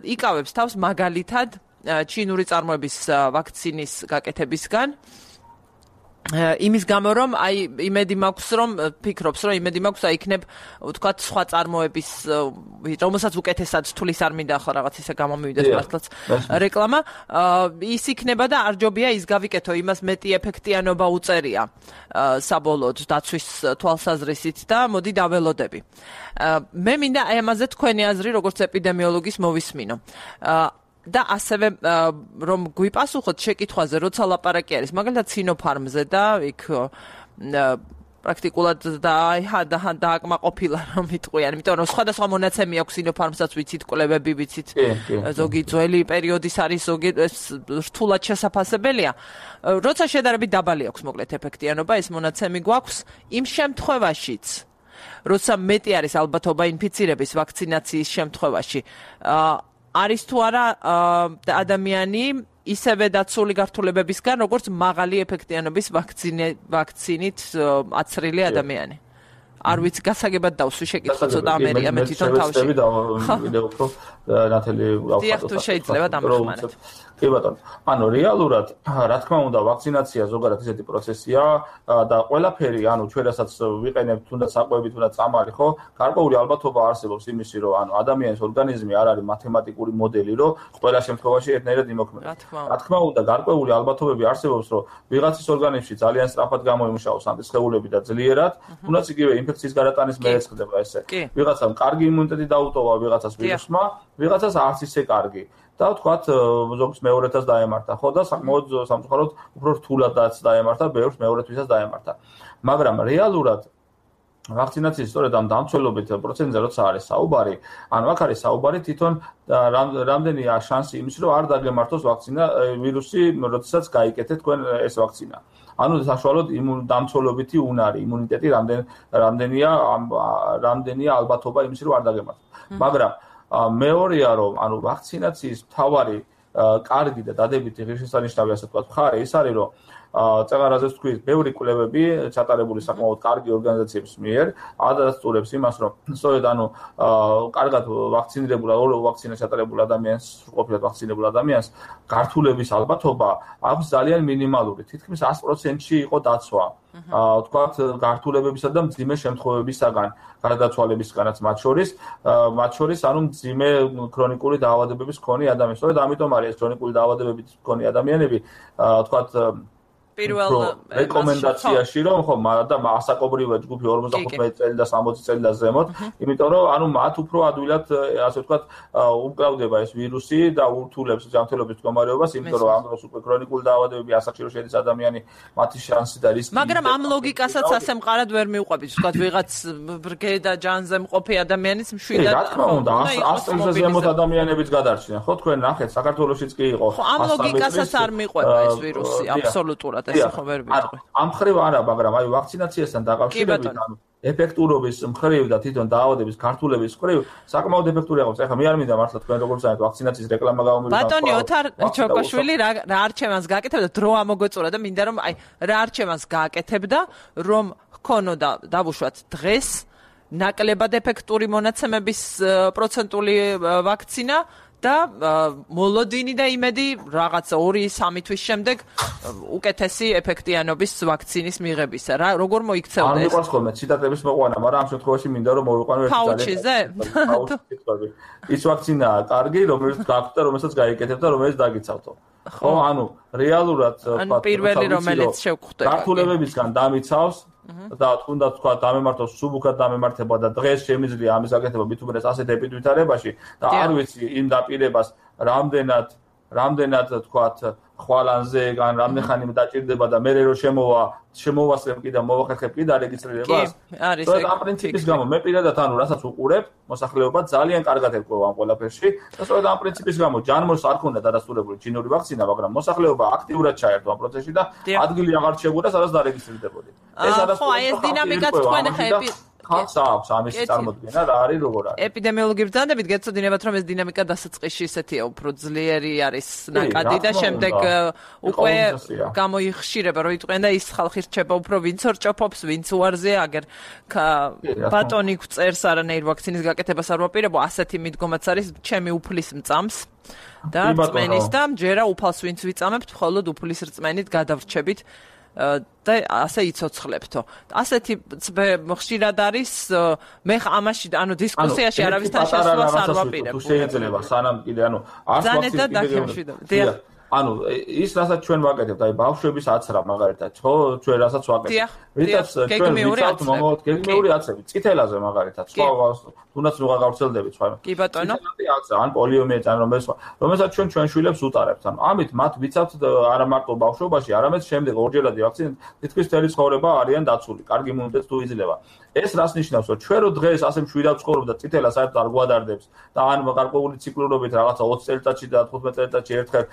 იკავებს თავს მაგალითად ჩინური წარმოების ვაქცინის გაკეთებისგან. იმის გამო რომ იმედი მაქვს რომ ფიქრობს რომ იმედი მაქვს იქნებ ვთქვათ სხვა წარმოების რომელსაც უკეთესად თulis არ მინდა ხო რაღაც ისე გამომივიდეს მართლაც რეკლამა ის იქნება და არ ჯობია ის გავიკეთო იმას მეტი ეფექტიანობა უწერია საბოლოოდ დაცვის თვალსაზრისით და მოდი დაველოდები მე მინდა ამაზე თქვენი აზრი როგორც ეპიდემიოლოგის მოვისმინო და ასევე რომ გვიპასუხოთ შეკითხვაზე როცა ლაპარაკი არის მაგალითად სინოფარმზე და იქ პრაქტიკულად დააკმაყოფილა რომ იტყვიან იმიტომ რომ სხვადასხვა მონაცემი აქვს სინოფარმსაც ვიცით კვლევები ვიცით ზოგი ძველი პერიოდის არის ზოგი რთულად შესაძლებელია როცა შედარებით დაბალი აქვს მოკლედ ეფექტიანობა ეს მონაცემი გვაქვს იმ შემთხვევაშიც როცა მეტი არის ალბათობა ინფიცირების ვაქცინაციის შემთხვევაში არის თუ არა ადამიანი ისევე დაცული გართულებებისგან, როგორც მაღალი ეფექტიანობის ვაქცინით აცრილი ადამიანი. არ ვიცი გასაგებად დავსვი შეკითხვა ცოტა ამერია მე თვითონ თავში ვიდე უფრო ნათელი გავხატოთ. დიახ, თუ შეიძლება დამეხმაროთ. კი ბატონო. ანუ რეალურად, რა თქმა უნდა, ვაქცინაცია ზოგადად ისეთი პროცესია და ყველაფერი, ანუ ჩვენ რასაც ვიყენებთ, თუნდაც საკვები, თუნდაც წამალი, ხო? გარკვეული ალბათობა არსებობს იმისი, რომ ანუ ადამიანის ორგანიზმი არ არის მათემატიკური მოდელი, რომ ყველა შემთხვევაში ერთნაირად იმოქმედებს. რა თქმა უნდა, გარკვეული ალბათობები არსებობს, რომ ვიღაცის ორგანიზმში ძალიან სწრაფად გამოიმუშავოს ანტისხეულები და ძლიერად, თუნდაც იგივე ინფექციის გარატანის მერეც ხდება ესე. ვიღაცამ კარგი იმუნიტეტი დაუტოვა ვიღაცას ვირუსმა, ვიღაცას არც ისე კარგი. და ვთქვათ, ზოგს მეორეთაც დაემართა, ხო და საკმაოდ სამწუხაროდ უფრო რთულადაც დაემართა, ბევრს მეორეთვისაც დაემართა. მაგრამ რეალურად ვაქცინაციის სწორედ ამ დამცველობით პროცენტზე როცა არის საუბარი, ანუ აქ არის საუბარი თვითონ რამდენია შანსი იმის, რომ არ დაგემართოს ვაქცინა ვირუსი, როდესაც გაიკეთეთ თქვენ ეს ვაქცინა. ანუ საშუალოდ დამცველობითი უნარი, იმუნიტეტი რამდენია ალბათობა იმის, რომ არ დაგემართოს. მაგრამ მეორეა რომ ანუ ვაქცინაციის მთავარი კარგი და დადებითი ღირსშესანიშნავი ასე ვთქვათ მხარე ის არის რომ წეღარაზეც თქვი ბევრი კვლევები ჩატარებული საკმაოდ კარგი ორგანიზაციების მიერ ადასტურებს იმას რომ სწორედ ანუ კარგად ვაქცინირებულ ვაქცინა ჩატარებულ ადამიანს ყოფილად ვაქცინებულ ადამიანს გართულების ალბათობა აქვს ძალიან მინიმალური თითქმის 100%-ში იყო დაცვა ვთქვათ გართულებებისა და მძიმე შემთხვევებისაგან გარდაცვალებისგანაც მათ შორის ანუ მძიმე ქრონიკული დაავადებების მქონე ადამიანები სწორედ ამიტომ არის ეს ქრონიკული დაავადებების მქონე ადამიანები ვთქვათ პირველ რეკომენდაციაში რომ ხო და ასაკობრივია ჯგუფი 45 წელი და 60 წელი და ზემოთ იმიტომ რომ ანუ მათ უფრო ადვილად ასე ვთქვათ უკრავდება ეს ვირუსი და ურთულებს ჯანმრთელობის მდგომარეობას იმიტომ რომ ამ დროს უკვე ქრონიკული დაავადებები ასაკში რომ შედის ადამიანი მათი შანსი და რისკი მაგრამ ამ ლოგიკასაც ასე მყარად ვერ მივყვებით ვთქვათ ვიღაც ბრგე და ჯანზე მყოფი ადამიანის მშვიდად რა თქმა უნდა 100 წელზე ზემოთ ადამიანებიც გადარჩნენ ხო თქვენ ნახეთ საქართველოშიც კი იყო ხო ამ ლოგიკასაც არ მიყვება ეს ვირუსი აბსოლუტურად ამ ხრივ არა, მაგრამ აი ვაქცინაციასთან დაკავშირებით, ანუ ეფექტურობის მხრივ და თვითონ დაავადების გართულების მხრივ საკმაოდ ეფექტური აქვს. ეხლა მე არ მინდა მართლა თქვენ როგორ წაეთ ვაქცინაციის რეკლამა გამომივიდა. ბატონი ოთარ ჩოკოშვილი რა არჩევანს გააკეთებდა, დრო ამოგეწურა და მინდა რომ აი რა არჩევანს გააკეთებდა, რომ ჰქონოდა დავუშვათ დღეს ნაკლებად ეფექტური მონაცემების პროცენტული ვაქცინა და მოლოდინი და იმედი რაღაც 2-3 თვის შემდეგ უკეთესი ეფექტიანობის ვაქცინის მიღებისა. რა როგორ მოიქცეოდა ეს? არ მიყვარს ხოლმე ციტატების მოყვანა, მაგრამ ამ შემთხვევაში მინდა რომ მოვიყვანო ერთი ფაუჩიზე. ის ვაქცინაა კარგი, რომელიც გაქვთ და რომელსაც გაიკეთებთ და რომელიც დაგიცავთო. ხო, ანუ რეალურად ანუ პირველი რომელიც შევხვდება. გართულებებისგან დამიცავს და თუნდაც თქვა დამემართოს სუბუქად დამემართება და დღეს შემიძლია ამის გაკეთება მithumedes ასეთ ეპიდემიარებაში და არ ვიცი იმ დაპირებას რამდენად თქვათ ხვალანზე ან რამდენ ხანი დაჭირდება და მე რო შემოვასწრებ კი და მოვახერხებ კი და რეგისტრირებას არის ეს ამ პრინციპის გამო მე პირადად ანუ რასაც უყურებ მოსახლეობა ძალიან კარგად ერკვევა ამ ყველაფერში და სწორედ ამ პრინციპის გამო ჯანმოს არ ქონდა დადასტურებული ჩინური ვაქცინა მაგრამ მოსახლეობა აქტიურად ჩაერთო ამ პროცესში და ადგილი აღარ შეგვდა სადაც დარეგისტრირდებოდი ეს არის ხო აი ეს დინამიკაც თქვენ ხები ხალხს აქვს ამის წარმოქმნა რა არის როგორ არის ეპიდემიოლოგი ბრძანდებით გეცოდინებათ რომ ეს დინამიკა დასაწყისში ისეთია უფრო ძლიერი არის ნაკადი და შემდეგ უკვე გამოიხშირება რომ იტყვიან და ის ხალხი რჩება უფრო ვინც ორჭოფობს ვინც უარზეა აგერ ბატონი წერს არანაირ ვაქცინის გაკეთებას არ ვაპირებო ასეთი მიდგომაც არის ჩემი უფლის მწამს და რწმენის და ჯერა უფალს ვინც ვიწამებთ მხოლოდ უფლის რწმენით გადავრჩებით და ასე იცოცხლებთო. ასეთი ხშირად არის მე ამაში ანუ დისკუსიაში არავისთან შესვლას არ ვაპირებ. თუ შეიძლება სანამ კიდე ანუ არც ვაქცინა ანუ ის რასაც ჩვენ ვაკეთებთ, აი ბავშვების აცრა მაგალითად, ხო, ჩვენ რასაც ვაკეთებთ. რითაც ჩვენ ვიცავთ მომავალ გეგმიური აცრები, წითელაზე მაგალითად, სხვა თუნდაც ნუ გავვრცელდებით სხვა. კი ბატონო. ან პოლიომიელიტი ან რომელსაც ჩვენ შვილებს უტარებთ. ანუ ამით მათ ვიცავთ არა მარტო ბავშვობაში, არამედ შემდეგ ორჯერადი ვაქცინა თითქმის მთელი ცხოვრება არიან დაცული, კარგი იმუნიტეტს თუ იძლევა. ეს რას ნიშნავს, რომ ჩვენ რო დღეს ასე მშვიდად ვცხოვრობ და წითელა საერთოდ არ გვადარდებს და ან გარკვეული ციკლურობით რაღაცა 20 წელიწადში და 15 წელიწადში ერთხელ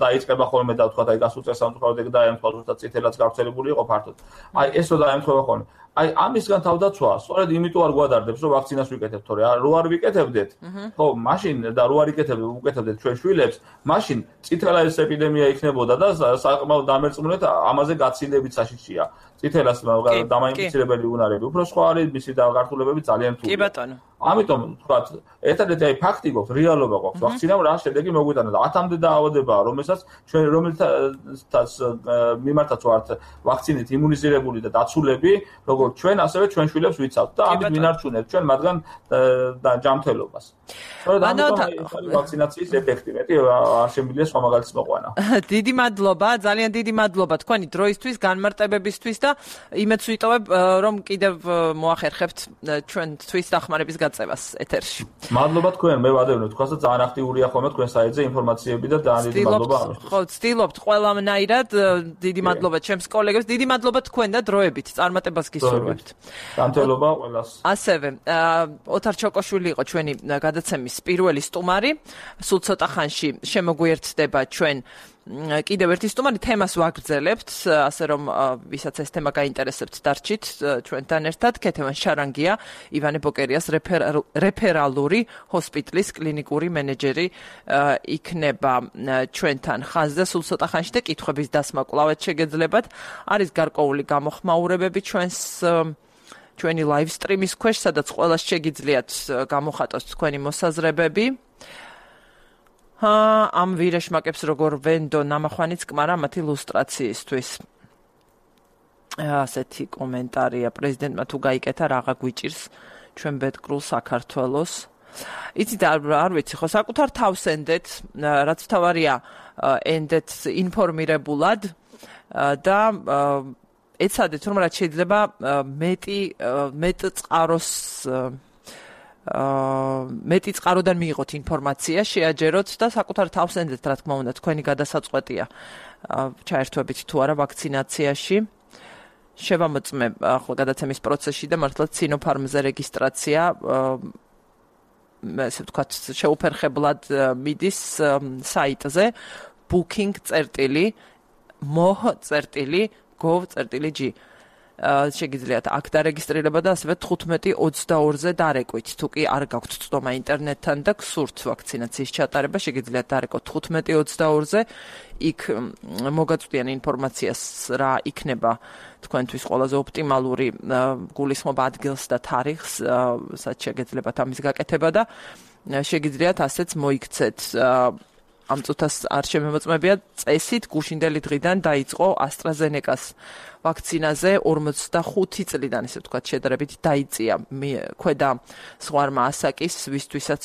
დაიწყება ხოლმე და თქვა აი გასულ წელს სამწუხაროდ ეგ დაემთხვა ზუსტად წითელაც გავრცელებული იყო ფართოდ. აი ეს რო დაემთხვა ხოლმე. აი ამისგან თავდაცვა, სწორედ იმიტომ არ გვადარდებს, რომ ვაქცინას ვიკეთებთ, თორე რო არ ვიკეთებდეთ, ხო, მაშინ და რო არ უკეთებდეთ ჩვენ შვილებს, მაშინ წითელაის ეპიდემია იქნებოდა და საკმაოდ დამერწმუნეთ ამაზე გაცილებიც საშიშია. წითელას დამაინფიცირებელი უნარები უფრო სხვა არის, მისი გართულებები ძალიან რთულია. კი ბატონო. ამიტომ თქვათ, ერთადერთი აი ფაქტი გვაქვს, რეალობა გვაქვს, ვაქცინამ რა შედეგი მოგვიტანა და 10-მდე დაავადებაა, რომელსაც ჩვენ რომელთაც მიმართაც ვართ ვაქცინით იმუნიზირებული და დაცულები, როგორც ჩვენ, ასევე ჩვენ შვილებს ვიცავთ და ამით მინარჩუნებთ ჩვენ მათგან ჯანმრთელობას. სწორედ ამიტომ ვაქცინაციის ეფექტი მეტი არ შემიძლია სხვა მაგალითს მოყვანა. დიდი მადლობა, ძალიან დიდი მადლობა თქვენი დროისთვის, განმარტებებისთვის და იმედს ვიტოვებ, რომ კიდევ მოახერხებთ ჩვენთვის დახმარების გაწევას ეთერში. მადლობა თქვენ, მე ვადევნებ თქვას და ძალიან აქტიურია ხოლმე თქვენ საიტზე ინფორმაციები და ძალიან დიდი მადლობა ამისთვის. ხო, ვცდილობთ ყველანაირად, დიდი მადლობა ჩემს კოლეგებს, დიდი მადლობა თქვენ და დროებით წარმატებას გისურვებთ. განთელობა ყველას. ასევე ოთარ ჩოკოშვილი იყო ჩვენი გადაცემის პირველი სტუმარი. სულ ცოტა ხანში შემოგვიერთდება ჩვენ კიდევ ერთი სტუმარი, თემას ვაგრძელებთ, ასე რომ ვისაც ეს თემა გაინტერესებთ, დარჩით ჩვენთან ერთად. ქეთევან შარანგია, ივანე ბოკერიას რეფერალური ჰოსპიტალის კლინიკური მენეჯერი იქნება ჩვენთან ხაზზე სულ ცოტა ხანში და კითხვების დასმა კვლავაც შეგეძლებათ. არის გარკვეული გამოხმაურებები ჩვენი live stream-ის ქვეშ, სადაც ყველას შეგიძლიათ გამოხატოთ თქვენი მოსაზრებები. ამ ვირეშმაკებს როგორ ვენდო ნამახვანიც კმარა მათი ლუსტრაციისთვის. ასეთი კომენტარია პრეზიდენტმა თუ გაიკეთა რაღა გვიჭირს ჩვენ ბედკრულ საქართველოს. იცით არ ვიცი ხო საკუთარ თავს ენდეთ, რაც თავარია ენდეთ ინფორმირებულად და ეცადეთ რომ რაც შეიძლება მეტი წყაროდან მიიღოთ ინფორმაცია, შეაჯეროთ და საკუთარ თავს ენდეთ, რა თქმა უნდა, თქვენი გადასაწყვეტია ჩაერთვებით თუ არა ვაქცინაციაში. შევამოწმე ახლა გადაცემის პროცესში და მართლაც Sinopharm-ზე რეგისტრაცია ესე ვთქვათ, შეუფერხებლად მიდის საიტზე booking.moh.gov.g შეგიძლიათ აქ დარეგისტრირება და ასევე 15:22-ზე დარეკვით. თუ კი არ გაქვთ წვდომა ინტერნეტთან და გსურთ ვაქცინაციის ჩატარება, შეგიძლიათ დარეკოთ 15:22-ზე. იქ მოგაწვდიან ინფორმაციას რა იქნება თქვენთვის ყველაზე ოპტიმალური გულისხმობა ადგილს და თარიღს, სადაც შეგეძლებათ ამის გაკეთება და შეგიძლიათ ასეც მოიქცეთ. ამ წუთას არ შემემოწმებია წესით გუშინდელი დღიდან დაიწყო AstraZeneca-ს ვაქცინაზე 45 წლიდან ისე ვთქვათ შედარებით დაიწია ქვედა ზღვარმა ასაკის, ვისთვისაც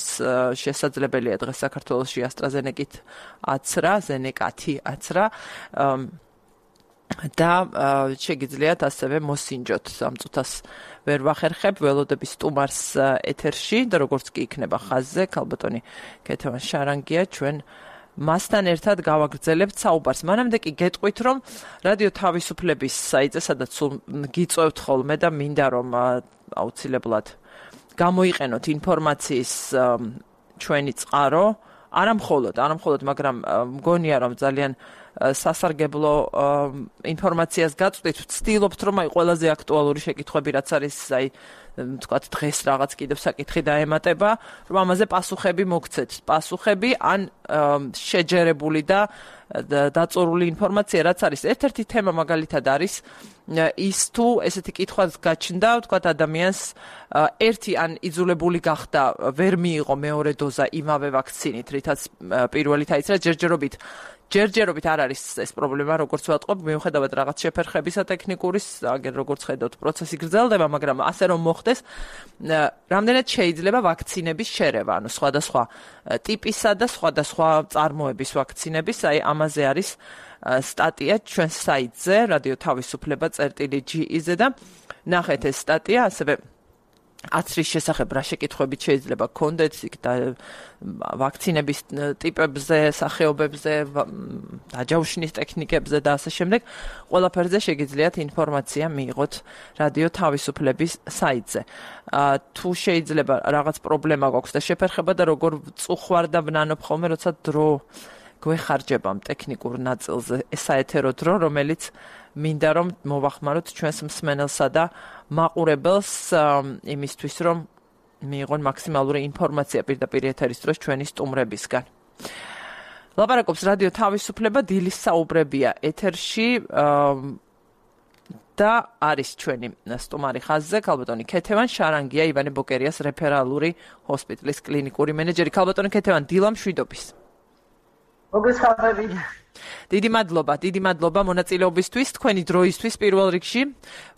შესაძლებელია დღეს საქართველოში AstraZeneca-ით აცრა, Zeneca-თი აცრა და შეგიძლიათ ასევე მოსინჯოთ. ამ წუთას ვერ ვახერხებ ველოდების სტუმარს ეთერში და როგორც კი იქნება ხაზზე, ქალბატონი ქეთევან შარანგია ჩვენ მასთან ერთად გავაგრძელებთ საუბარს. მანამდე კი გეტყვით, რომ რადიო თავისუფლების საიტზე, სადაც გიწევთ ხოლმე და მინდა რომ აუცილებლად გამოიყენოთ ინფორმაციის ჩვენი წყარო, არა მხოლოდ, მაგრამ მგონია რომ ძალიან სასარგებლო ინფორმაციას გაწვდით, ვცდილობთ რომ აი ყველაზე აქტუალური შეკითხვები რაც არის, აი თქვათ დღეს რაღაც კიდევ საკითხი დაემატება, რომ ამაზე პასუხები მოგცეთ. პასუხები ან შეჯერებული და დაწორული ინფორმაცია რაც არის. ერთ-ერთი თემა მაგალითად არის ის თუ ესეთი კითხვა გაჩნდა, ვთქვათ ადამიანს ერთი ან იძულებული გახდა ვერ მიიღო მეორე დოზა იმავე ვაქცინით, რითაც პირველი დაიწყო ჯერჯერობით არ არის ეს პრობლემა, როგორც ვატყობ, მიუხედავად რაღაც შეფერხებისა ტექნიკურის, აგერ როგორც ხედავთ, პროცესი გრძელდება, მაგრამ ასე რომ მოხდეს, რამდენად შეიძლება ვაქცინების შერევა, ანუ სხვადასხვა ტიპისა და სხვადასხვა წარმოების ვაქცინების, აი ამაზე არის სტატია ჩვენ საიტზე, რადიო თავისუფლება.ge-ზე და ნახეთ ეს სტატია, ასევე აცრის შესახებ რა შეკითხვებით შეიძლება გქონდეთ და ვაქცინების ტიპებზე, სახეობებზე, დაჯავშნის ტექნიკებზე და ასე შემდეგ, ყველაფერზე შეგიძლიათ ინფორმაცია მიიღოთ რადიო თავისუფლების საიტზე. თუ შეიძლება რაღაც პრობლემა გვაქვს და შეფერხება და როგორ წუხვარ და ვნანობ ხოლმე, როცა დრო გვეხარჯება ტექნიკურ ნაწილზე საეთერო დრო, რომელიც მინდა რომ მოვახმაროთ ჩვენს მსმენელსა და მაყურებელს იმისთვის, რომ მიიღონ მაქსიმალური ინფორმაცია პირდაპირ ეთერის დროს ჩვენი სტუმრებისგან. ლაპარაკობს რადიო თავისუფლება, დილის საუბრებია ეთერში და არის ჩვენი სტუმარი ხაზზე, ქალბატონი ქეთევან შარანგია, ივანე ბოკერიას რეფერალური ჰოსპიტალის კლინიკური მენეჯერი. ქალბატონი ქეთევან, დილა მშვიდობის. მოგესალმებით. დიდი მადლობა მონაწილეობისთვის, თქვენი დროისთვის პირველ რიგში.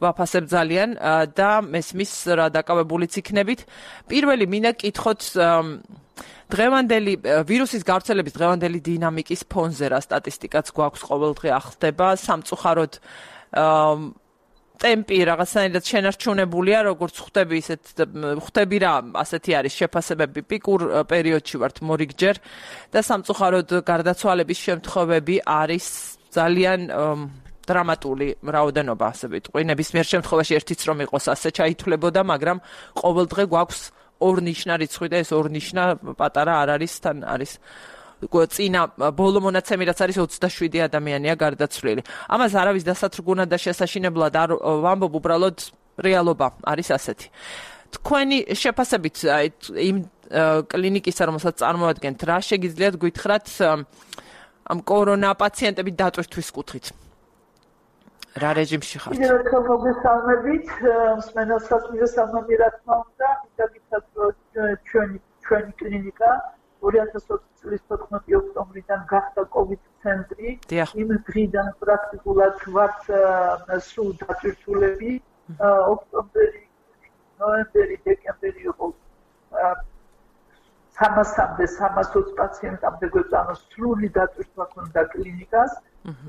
ვაფასებ ძალიან და მესმის რა დაკავებულიც იქნებით. პირველი მინდა კითხოთ დღევანდელი ვირუსის გავრცელების დღევანდელი დინამიკის ფონზე რა სტატისტიკაც გვაქვს ყოველდღე ახსდება, სამწუხაროდ ტემპი რაღაცნაირად შენარჩუნებულია, როგორც ხვდები რა, ასეთი არის შეფასებები, პიკურ პერიოდში ვართ მორიგჯერ და სამწუხაროდ გარდაცვალების შემთხვევები არის ძალიან დრამატული რაოდენობა, ასე ვიტყვი. ნებისმიერ შემთხვევაში ერთიც რომ იყოს ასე ჩაითვლებოდა, მაგრამ ყოველდღე გვაქვს ორ ნიშნა რიცხვი და ეს ორ ნიშნა პატარა არ არის, თან არის წინა ბოლო მონაცემი რაც არის 27 ადამიანია გარდაცვლილი. ამას არავის დასათრგუნად და შესაშინებლად არ ვამბობ, უბრალოდ რეალობა არის ასეთი. თქვენი შეფასებით იმ კლინიკისა, რომელსაც წარმოადგენთ, რა შეგიძლიათ გითხრათ ამ კორონა პაციენტების დატვირთვის კუთხით? რა რეჟიმში ხართ? მოგესალმებით, მსმენელსაც მოგესალმები, რა თქმა უნდა, მოგითხრათ ჩვენი კლინიკა 2020 წლის 14 ოქტომბრიდან გახდა COVID ცენტრი. იმ დღიდან პრაქტიკულად ვართ სულ დატვირთულები. ოქტომბერი, ნოემბერი, დეკემბერი იყო 300-320 პაციენტამდე გვეწანა სრული დატვირთვა ქონდა კლინიკას.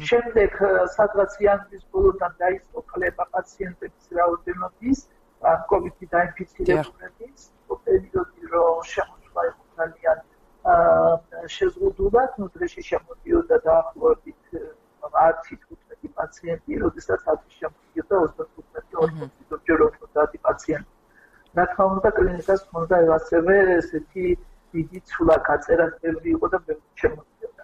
შემდეგ სადღაც იანვრის ბოლოდან დაიწყო კლება პაციენტების რაოდენობის, COVID-ით დაინფიცირებულების. პერიოდი რომ შემოშვა იყო ძალიან შეზღუდულად, დღეში შემოდიოდა დაახლოებით 10-15 პაციენტი, როდესაც ათი შემოდიოდა 35-40 ჯერ 50 პაციენტი. რა თქმა უნდა, კლინიკას ჰქონდა ასევე ესეთი დიდი ცვლა გაწერასები იყო და შემოდიოდა.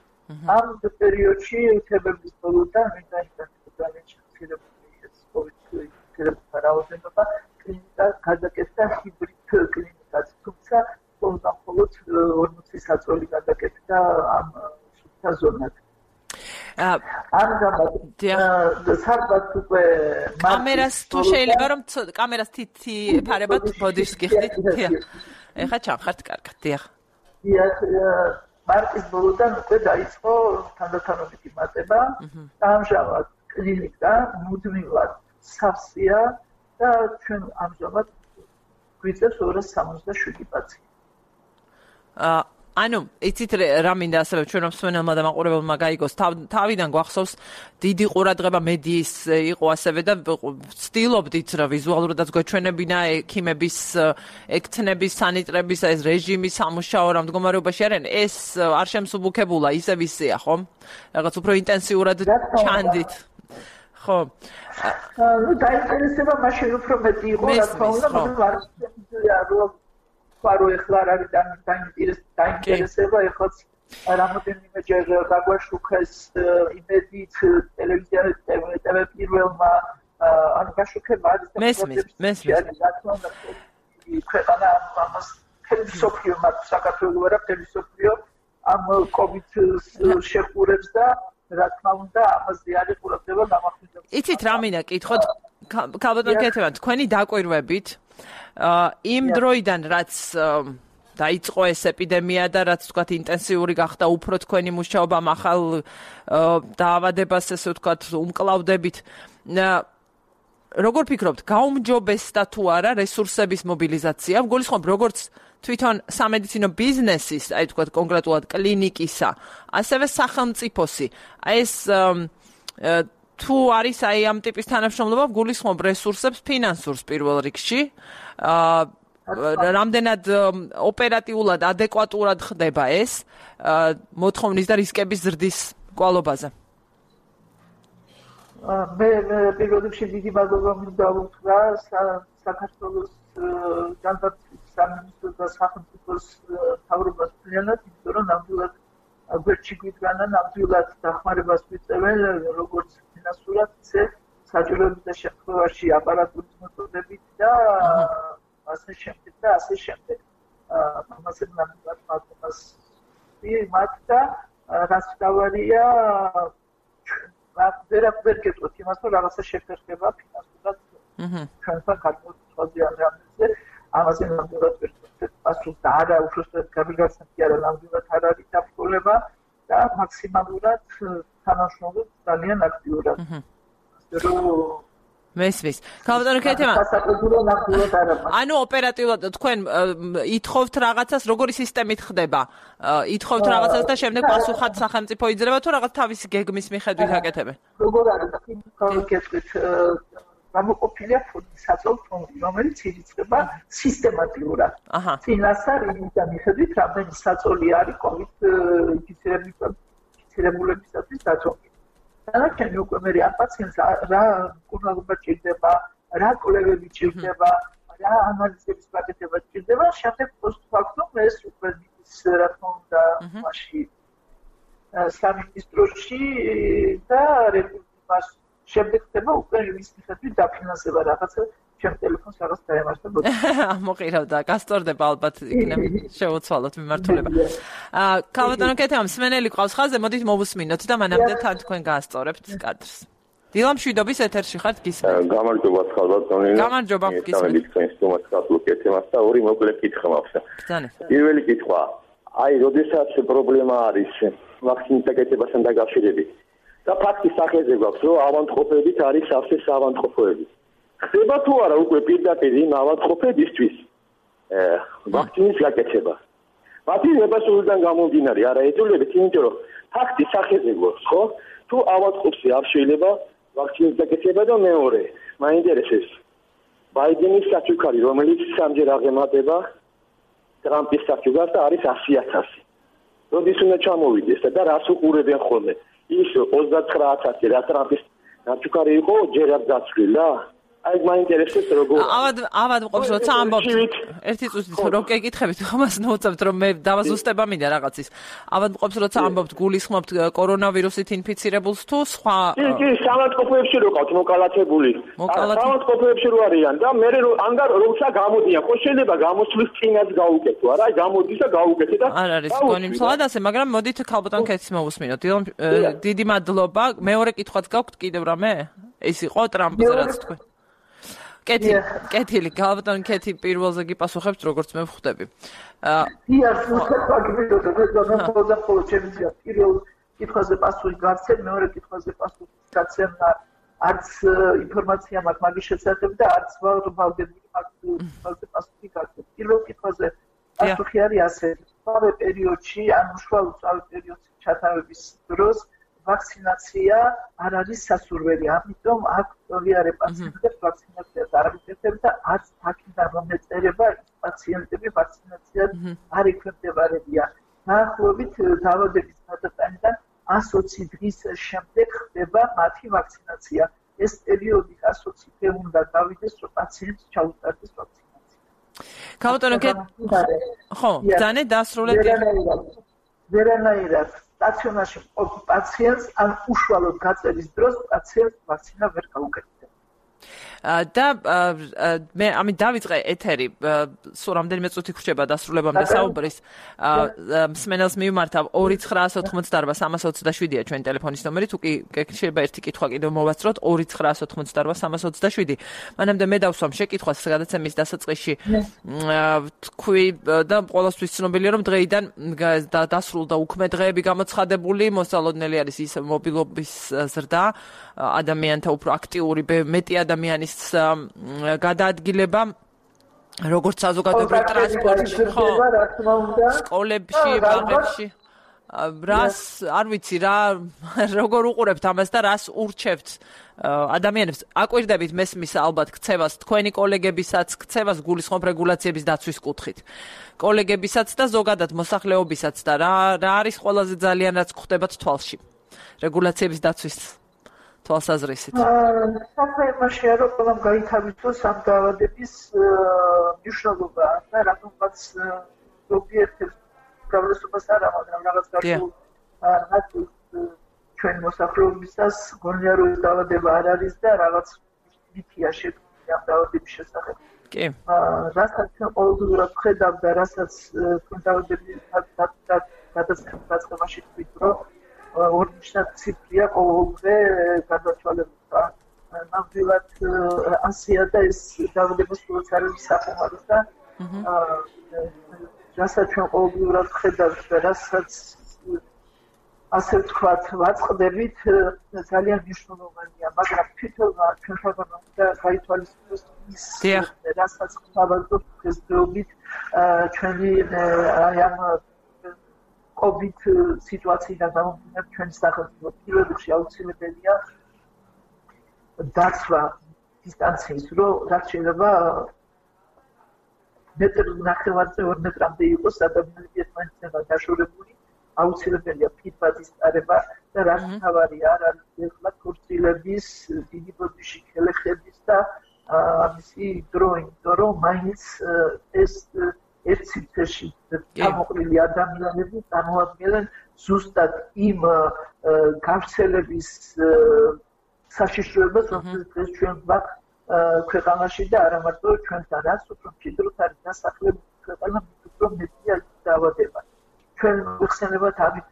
ამ პერიოდში თებერვლის ბოლოდან ძალიან შემცირებული ეს COVID-19 რაოდენობა, კლინიკა გადაკეთდა ჰიბრიდ კლინიკად, თუმცა მხოლოდ 40 საწოლი გადაკეთდა ამ სუფთა ზონად. ამჟამად სადღაც უკვე კამერას თუ შეიძლება რომ კამერას თითი ეფარებათ ბოდიშს გიხდით? ეხა ჩამხართ კარგად, დიახ. მარტის ბოლოდან უკვე დაიწყო თანდათანობით იმატება. ამჟამად კლინიკა მუდმივად სავსეა და ჩვენ ამჟამად გვიწევს 267 პაციენტი. ანუ იცით რა მინდა ასევე ჩვენ მსმენელმა და მაყურებელმა გაიგოს, თავიდან გვახსოვს დიდი ყურადღება მედიის იყო ასევე და ვცდილობდით რა ვიზუალურადაც გვეჩვენებინა ექიმების, ექთნების, სანიტრების ეს რეჟიმი სამუშაო რა მდგომარეობაში არიან, ეს არ შემსუბუქებულა ისევ ისეა, ხო? რაღაც უფრო ინტენსიურად ჩანდით. ხო. ნუ დაინტერესება მაშინ უფრო მეტი იყო, რა თქმა უნდა, მაგრამ არ შემიძლია რომ ვარო ეხლა არ არის დაინტერესება, ეხლაც რამოდენიმეჯერ გაგვაშუქეს იმედით ტელევიზიაში TV პირველმა ანუ გაშუქება არის მესმის ქვეყანა ამას თელესოფიო მათ საქართველოს არა თელესოფიო ამ COVID-ს შეხურებს და რა თქმა უნდა ამაზე არის ყურადღება გამახვილებული. იცით რა მინდა კითხოთ ქალბატონ ქეთევან, თქვენი დაკვირვებით იმ დროიდან რაც დაიწყო ეს ეპიდემია და რაც თქვათ ინტენსიური გახდა უფრო თქვენი მუშაობა ახალ დაავადებას ესე ვთქვათ უმკლავდებით, როგორ ფიქრობთ, გაუმჯობესდა თუ არა რესურსების მობილიზაცია? გულისხმობ როგორც თვითონ სამედიცინო ბიზნესის, აი თქვათ კონკრეტულად კლინიკისა, ასევე სახელმწიფოსი. ეს თუ არის აი ამ ტიპის თანამშრომლობა, გულისხმობ რესურსებს ფინანსურს პირველ რიგში. რამდენად ოპერატიულად, ადეკვატურად ხდება ეს მოთხოვნის და რისკების ზრდის კვალობაზე? მე პირველ რიგში დიდი მადლობა მინდა უთხრა საქართველოს განათლების სამინისტროს და სახელმწიფოს მთავრობას მთლიანად, იმიტომ რომ ნამდვილად გვერდში გვიდგანა ნამდვილად დახმარებას ვიწევენ როგორც ფინანსურად, ისე საჭიროების შემთხვევაში აპარატურის მოწოდებით და ასე შემდეგ. ამაზე ნამდვილად მადლობას მათ და რაც დავარია ვერ გეტყვით იმას, რომ რაღაცა შეფერხება ფინანსურად ჩვენთან ქართულ აზრზე. ამაზე ნამდვილად ვერ გეტყვით პასუხს და არა უბრალოდ გამიგაცნით კი არა ნამდვილად არ არის დაბრკოლება და მაქსიმალურად თანამშრომლობთ ძალიან აქტიურად. მესმის. ქალბატონო ქეთემა. ანუ ოპერატიულად თქვენ ითხოვთ რაღაცას, როგორი სისტემით ხდება? ითხოვთ რაღაცას და შემდეგ პასუხად სახელმწიფო იძლევა თუ რაღაც თავისი გეგმის მიხედვით აკეთებენ? როგორ არის? გეტყვით გამოყოფილია საწოლ ფონდი, რომელიც ირიცხება სისტემატიურად. წინასწარ იმის მიხედვით, რამდენი საწოლი არის COVID ინფიცირებულებისათვის დაწოლილი. დანარჩენი უკვე მე ამ პაციენტს რა მკურნალობა ჭირდება, რა კვლევები ჭირდება, რა ანალიზების გაკეთება ჭირდება, შემდეგ პოსტფაქტუმ ეს უკვე ის რა თქმა უნდა მასში სამინისტროში და რეგულირებას შემდეგ ხდება უკვე ის მიხედვით დაფინანსება რაღაცა ჩემ ტელეფონს რაღაც დაემართებოდა. მოყირავდა, გასწორდება ალბათ იქნებ შეუცვალოთ მიმართულება. ქალბატონო ქეთემა, მსმენელი ყავს ხაზზე, მოდით მოვუსმინოთ და მანამდე თან თქვენ გაასწორებთ კადრს. დილა მშვიდობის ეთერში ხართ გისმენთ. გამარჯობა ქალბატონინო. გამარჯობა გისმენთ. გამარჯობა თქვენს თომას ქალბატონო ქეთემას და ორი მოკლე კითხვა მაქვს. ბრძანეთ. პირველი კითხვა, აი, როდესაც პრობლემა არის ვაქცინის გაკეთებასთან დაკავშირებით და ფაქტის სახეზე გვაქვს, რომ ავადმყოფობით არის სავსე ავადმყოფოები. ხდება თუ არა უკვე პირდაპირ იმ ავადმყოფებისთვის ვაქცინის გაკეთება. მათი ნებასულიდან გამომდინარე არა ეთულებთ, იმიტომ რომ ფაქტის სახეზე გვაქვს, ხო? თუ ავადმყოფს არ შეიძლება ვაქცინის გაკეთება და მეორე, მაინტერესებს ბაიდენის საჩუქარი, რომელიც სამჯერ აღემატება ტრამპის საჩუქარს და არის 100,000. როდის უნდა ჩამოვიდეს და რას უყურებენ ხოლმე? ის 39,000 რა ტრამპის საჩუქარი იყო ჯერ არ დაცვლილა? აი მაინტერესებს როგორ ავადმყოფს როცა ამბობთ ერთი წუთით რო გეკითხებით ხომას ნუწევთ რომ მე დავაზუსტება მინდა რაღაცის ავადმყოფს როცა ამბობთ გულისხმობთ კორონავირუსით ინფიცირებულს თუ სხვა კი სამავადმყოფოებში რო ყავთ მოკალათებული სამავადმყოფოებში რო არიან და მე ანგარ როცა გამოდიან ხო შეიძლება გამოსვლის წინაც გაუკეთო არა აი გამოდის და გაუკეთე და არ არის გონი მსვლად ასე მაგრამ მოდით ქალბატონ ქეთის მოვუსმინოთ დიდი მადლობა მეორე კითხვაც გაქვთ კიდევ რამე ეს იყო ტრამპზე რაც თქვენ კეთილი, ქალბატონ ქეთი პირველზე გიპასუხებთ, როგორც მე ვხვდები. დიახ, პირველ კითხვაზე პასუხი გაცემ, მეორე კითხვაზე პასუხი გაცემ, არც ინფორმაცია მაქვს მაგის შესახებ და არც ვალდებული მაგის პასუხი გაცემ. პირველ კითხვაზე პასუხი არის ასეთი: სწავე პერიოდში, ან უშუალო სწავე პერიოდში ჩატარების დროს ვაქცინაცია არ არის სასურველი, ამიტომ აქ ვიარე პაციენტებს ვაქცინაციას არ აკეთებ და არც აქედან რომ ეწერება პაციენტები ვაქცინაციას არ ექვემდებარებიან. დაახლოებით დაავადების გადატანიდან 120 დღის შემდეგ ხდება მათი ვაქცინაცია. ეს პერიოდი 120 დღე უნდა გავიდეს, რომ პაციენტს ჩაუტარდეს ვაქცინაცია. ქალბატონო ხო, ძანე დასრულეთ. ვერანაირად სტაციონარში მყოფ პაციენტს ან უშუალოდ გაწევის დროს პაციენტს ვაქცინა ვერ გაუკეთებია. და მე ამით დავიწყე ეთერი სულ რამდენიმე წუთი გრჩება დასრულებამდე საუბრის მსმენელს მივმართავ 29988 ჩვენ ტელეფონის ნომერი თუ კი შეიძლება ერთი კითხვა კიდევ მოვასწროთ 29988 მანამდე მე დავსვამ შეკითხვას გადაცემის დასაწყისში თქვი და ყოველთვის ცნობილია რომ დღეიდან დასრულდა უქმე დღეები გამოცხადებული მოსალოდნელი არის ის მობილობის ზრდა ადამიანთა უფრო აქტიური მეტი ადამიანის გადაადგილება როგორც საზოგადოებრივ ტრანსპორტში ხო სკოლებში ბაღებში რას არ ვიცი რა როგორ უყურებთ ამას და რას ურჩევთ ადამიანებს აკვირდებით მესმის ალბათ ქცევას თქვენი კოლეგებისაც ქცევას გულისხმობ რეგულაციების დაცვის კუთხით კოლეგებისაც და ზოგადად მოსახლეობისაც და რა არის ყველაზე ძალიან რაც ხდებათ თვალში რეგულაციების დაცვის თვალსაზრისით. საქმე იმაშია, რომ ყველამ გაითავისოს ამ დაავადების მნიშვნელობა და რატომაც ზოგიერთებს გამოსულობას არა, მაგრამ რაღაც გარკვეულ ჩვენ მოსახლეობისას გონიაროების დაავადება არ არის და რაღაც მითია შექმნილი ამ დაავადების შესახებ. კი. რასაც ჩვენ ყოველდღიურად ვხედავ და რასაც თქვენ გადაცემაში თქვით, რომ ორნიშნად ციფრია ყოველდღე გადაცვალება. ნამდვილად ასია და ეს დაავადება სულაც არ არის საკმარის და რასაც ჩვენ ყოველდღიურად ვხედავთ და რასაც ასე ვთქვათ, ვაწყდებით ძალიან მნიშვნელოვანია, მაგრამ თვითონ ჩვენ ხარბანა და გაითვალისწინოს ის რასაც ხავარდოთ დღესდღეობით ჩვენი აი ამ COVID სიტუაციიდან გამომდინარე ჩვენი სახელმწიფო პირობებში აუცილებელია დაცვა დისტანციის, რომ რაც შეიძლება მეტრი ნახევარზე 2 მეტრამდე იყოს ადამიანები ერთმანეთთან დაშორებული. აუცილებელია ფიდბადის წარება და რაც თავარია არ არის ეხლა ქორწილების დიდი ბოდიში ხელეხების და ამისი დრო, იმიტომ რომ მაინც ეს ერთ ციფრში გამოყრილი ადამიანები წარმოადგენენ ზუსტად იმ გავრცელების საშიშროებას, რომელიც დღეს ჩვენ გვაქვს ქვეყანაში და არა მარტო ჩვენთან, რაც უფრო მჭიდროდ არის დასახლებული ქვეყანა, უფრო მეტია ის დაავადება. ჩვენ ვიხსენებათ ამით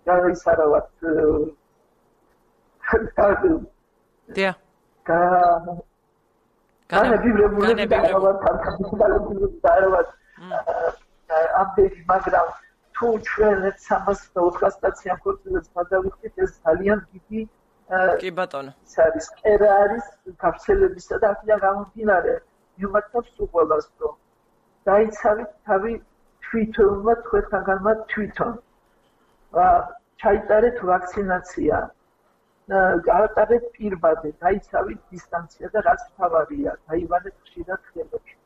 გაისარავად დია განებივრებული დაარავად ამდენი, მაგრამ თუ ჩვენ 304 სტაციან ქორწილებს გადავიხდით, ეს ძალიან დიდი კი ბატონო ის არის კერა არის გავრცელებისა და აქედან გამომდინარე მიმართავს უყოლას, რომ დაიცავით თავი თვითონმა თქვენთანგანმა თვითონ ჩაიტარეთ ვაქცინაცია, გაატარეთ პირბადე, დაიცავით დისტანცია და რაც თავარია, დაიბანეთ ხშირად ხელებში.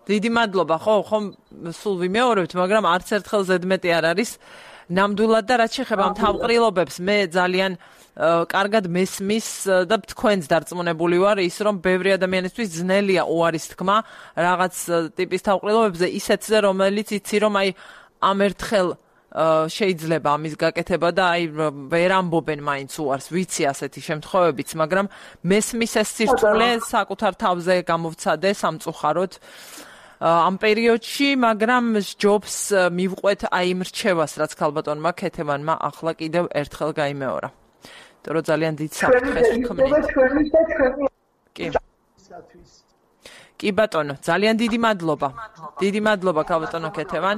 დიდი მადლობა, ხომ სულ ვიმეორებთ, მაგრამ არც ერთხელ ზედმეტი არ არის ნამდვილად და რაც შეეხება თავყრილობებს, მე ძალიან კარგად მესმის და თქვენს დარწმუნებული ვარ ის, რომ ბევრი ადამიანისთვის ძნელია უარის თქმა რაღაც ტიპის თავყრილობებზე, ისეთზე, რომელიც იცი, რომ აი ამ ერთხელ შეიძლება ამის გაკეთება და აი ვერ ამბობენ მაინც უარს, ვიცი ასეთი შემთხვევებიც, მაგრამ მესმის ეს სირთულე საკუთარ თავზე გამოვცადე სამწუხაროდ ამ პერიოდში, მაგრამ ჯობს მივყვეთ აი იმ რჩევას, რაც ქალბატონმა ქეთევანმა ახლა კიდევ ერთხელ გაიმეორა. იმიტომ რომ ძალიან დიდ საფრთხეს ვქმნით. კი ბატონო, ძალიან დიდი მადლობა. დიდი მადლობა ქალბატონო ქეთევან.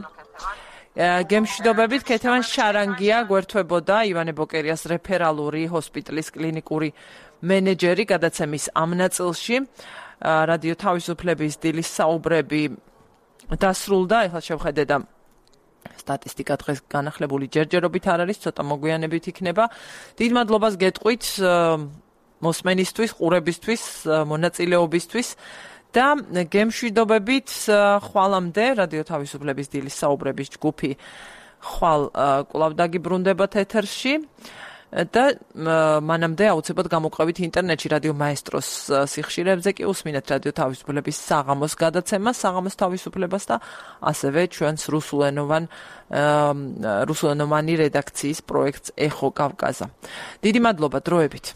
გემშვიდობებით ქეთევან შარანგია გვერდთვებოდა ივანე ბოკერიას რეფერალური ჰოსპიტალის კლინიკური მენეჯერი გადაცემის ამ ნაწილში. რადიო თავისუფლების დილის საუბრები დასრულდა, ეხლა შევხედე და სტატისტიკა დღეს განახლებული ჯერჯერობით არ არის, ცოტა მოგვიანებით იქნება. დიდ მადლობას გეტყვით მოსმენისთვის, ყურებისთვის, მონაწილეობისთვის და გემშვიდობებით ხვალამდე რადიო თავისუფლების დილის საუბრების ჯგუფი ხვალ კვლავ დაგიბრუნდებათ ეთერში. და მანამდე აუცილებლად გამოყვებით ინტერნეტში რადიო მაესტროს სიხშირეებზე კი უსმინეთ რადიო თავისუფლების საღამოს გადაცემას, საღამოს თავისუფლებას და ასევე ჩვენს რუსულენოვანი რედაქციის პროექტს ეხო კავკაზა. დიდი მადლობა დროებით.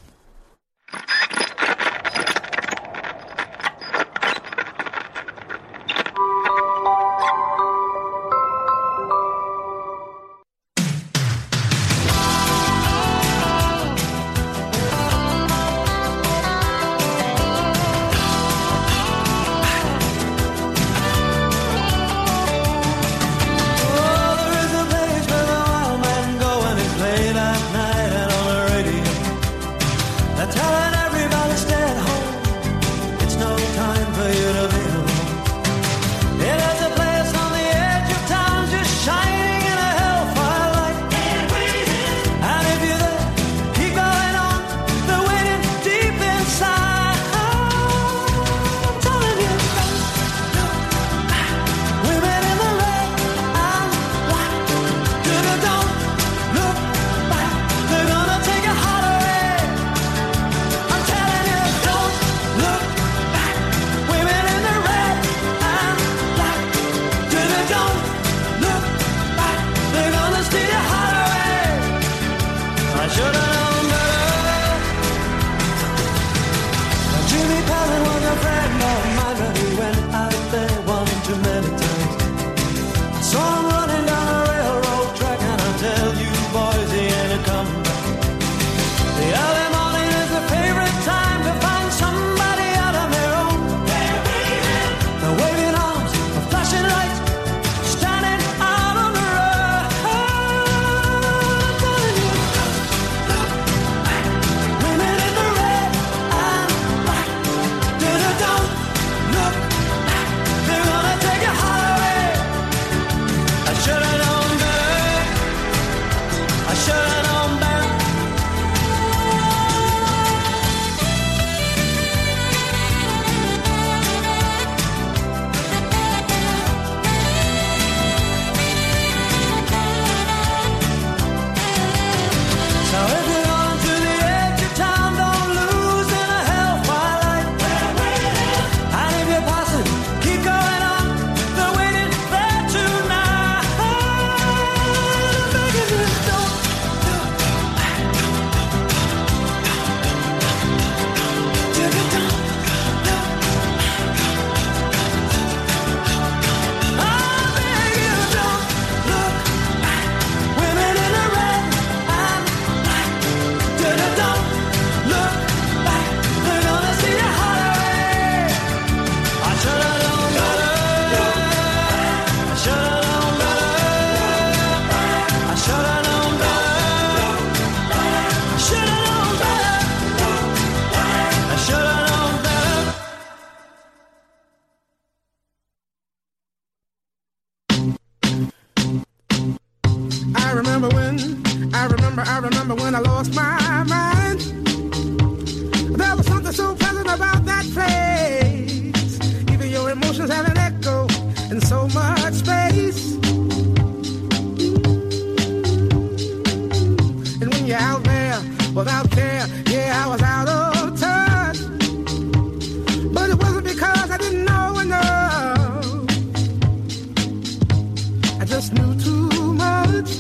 I remember when I lost my mind. There was something so pleasant about that place. Even your emotions have an echo in so much space. And when you're out there without care, yeah, I was out of touch. But it wasn't because I didn't know enough. I just knew too much.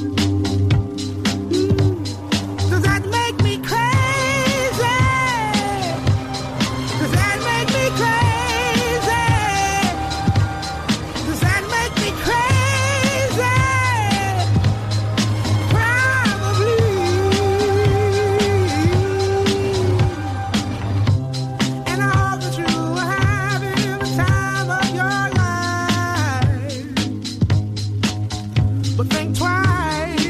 Does that make me crazy? Does that make me crazy? Does that make me crazy? Probably. And I hope that you are having the time of your life. But think twice.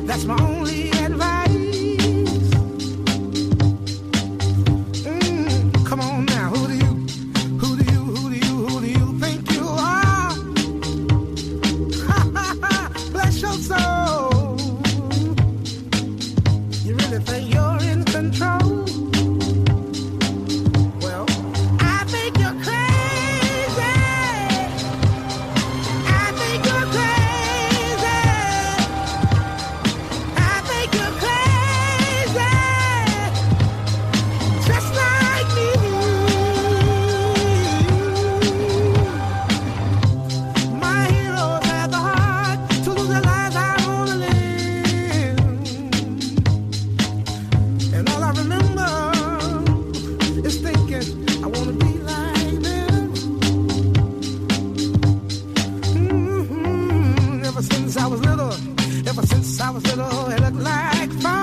That's my only advice. Come on now, who do you think you are? Bless your soul. You really think you're in control? Well, I think you're crazy. I think you're crazy. I think you're crazy, just like me. My heroes had the heart to lose their lives. I wanna live, and all I remember is thinking I wanna be like them. Ever since I was little, it looked like fun.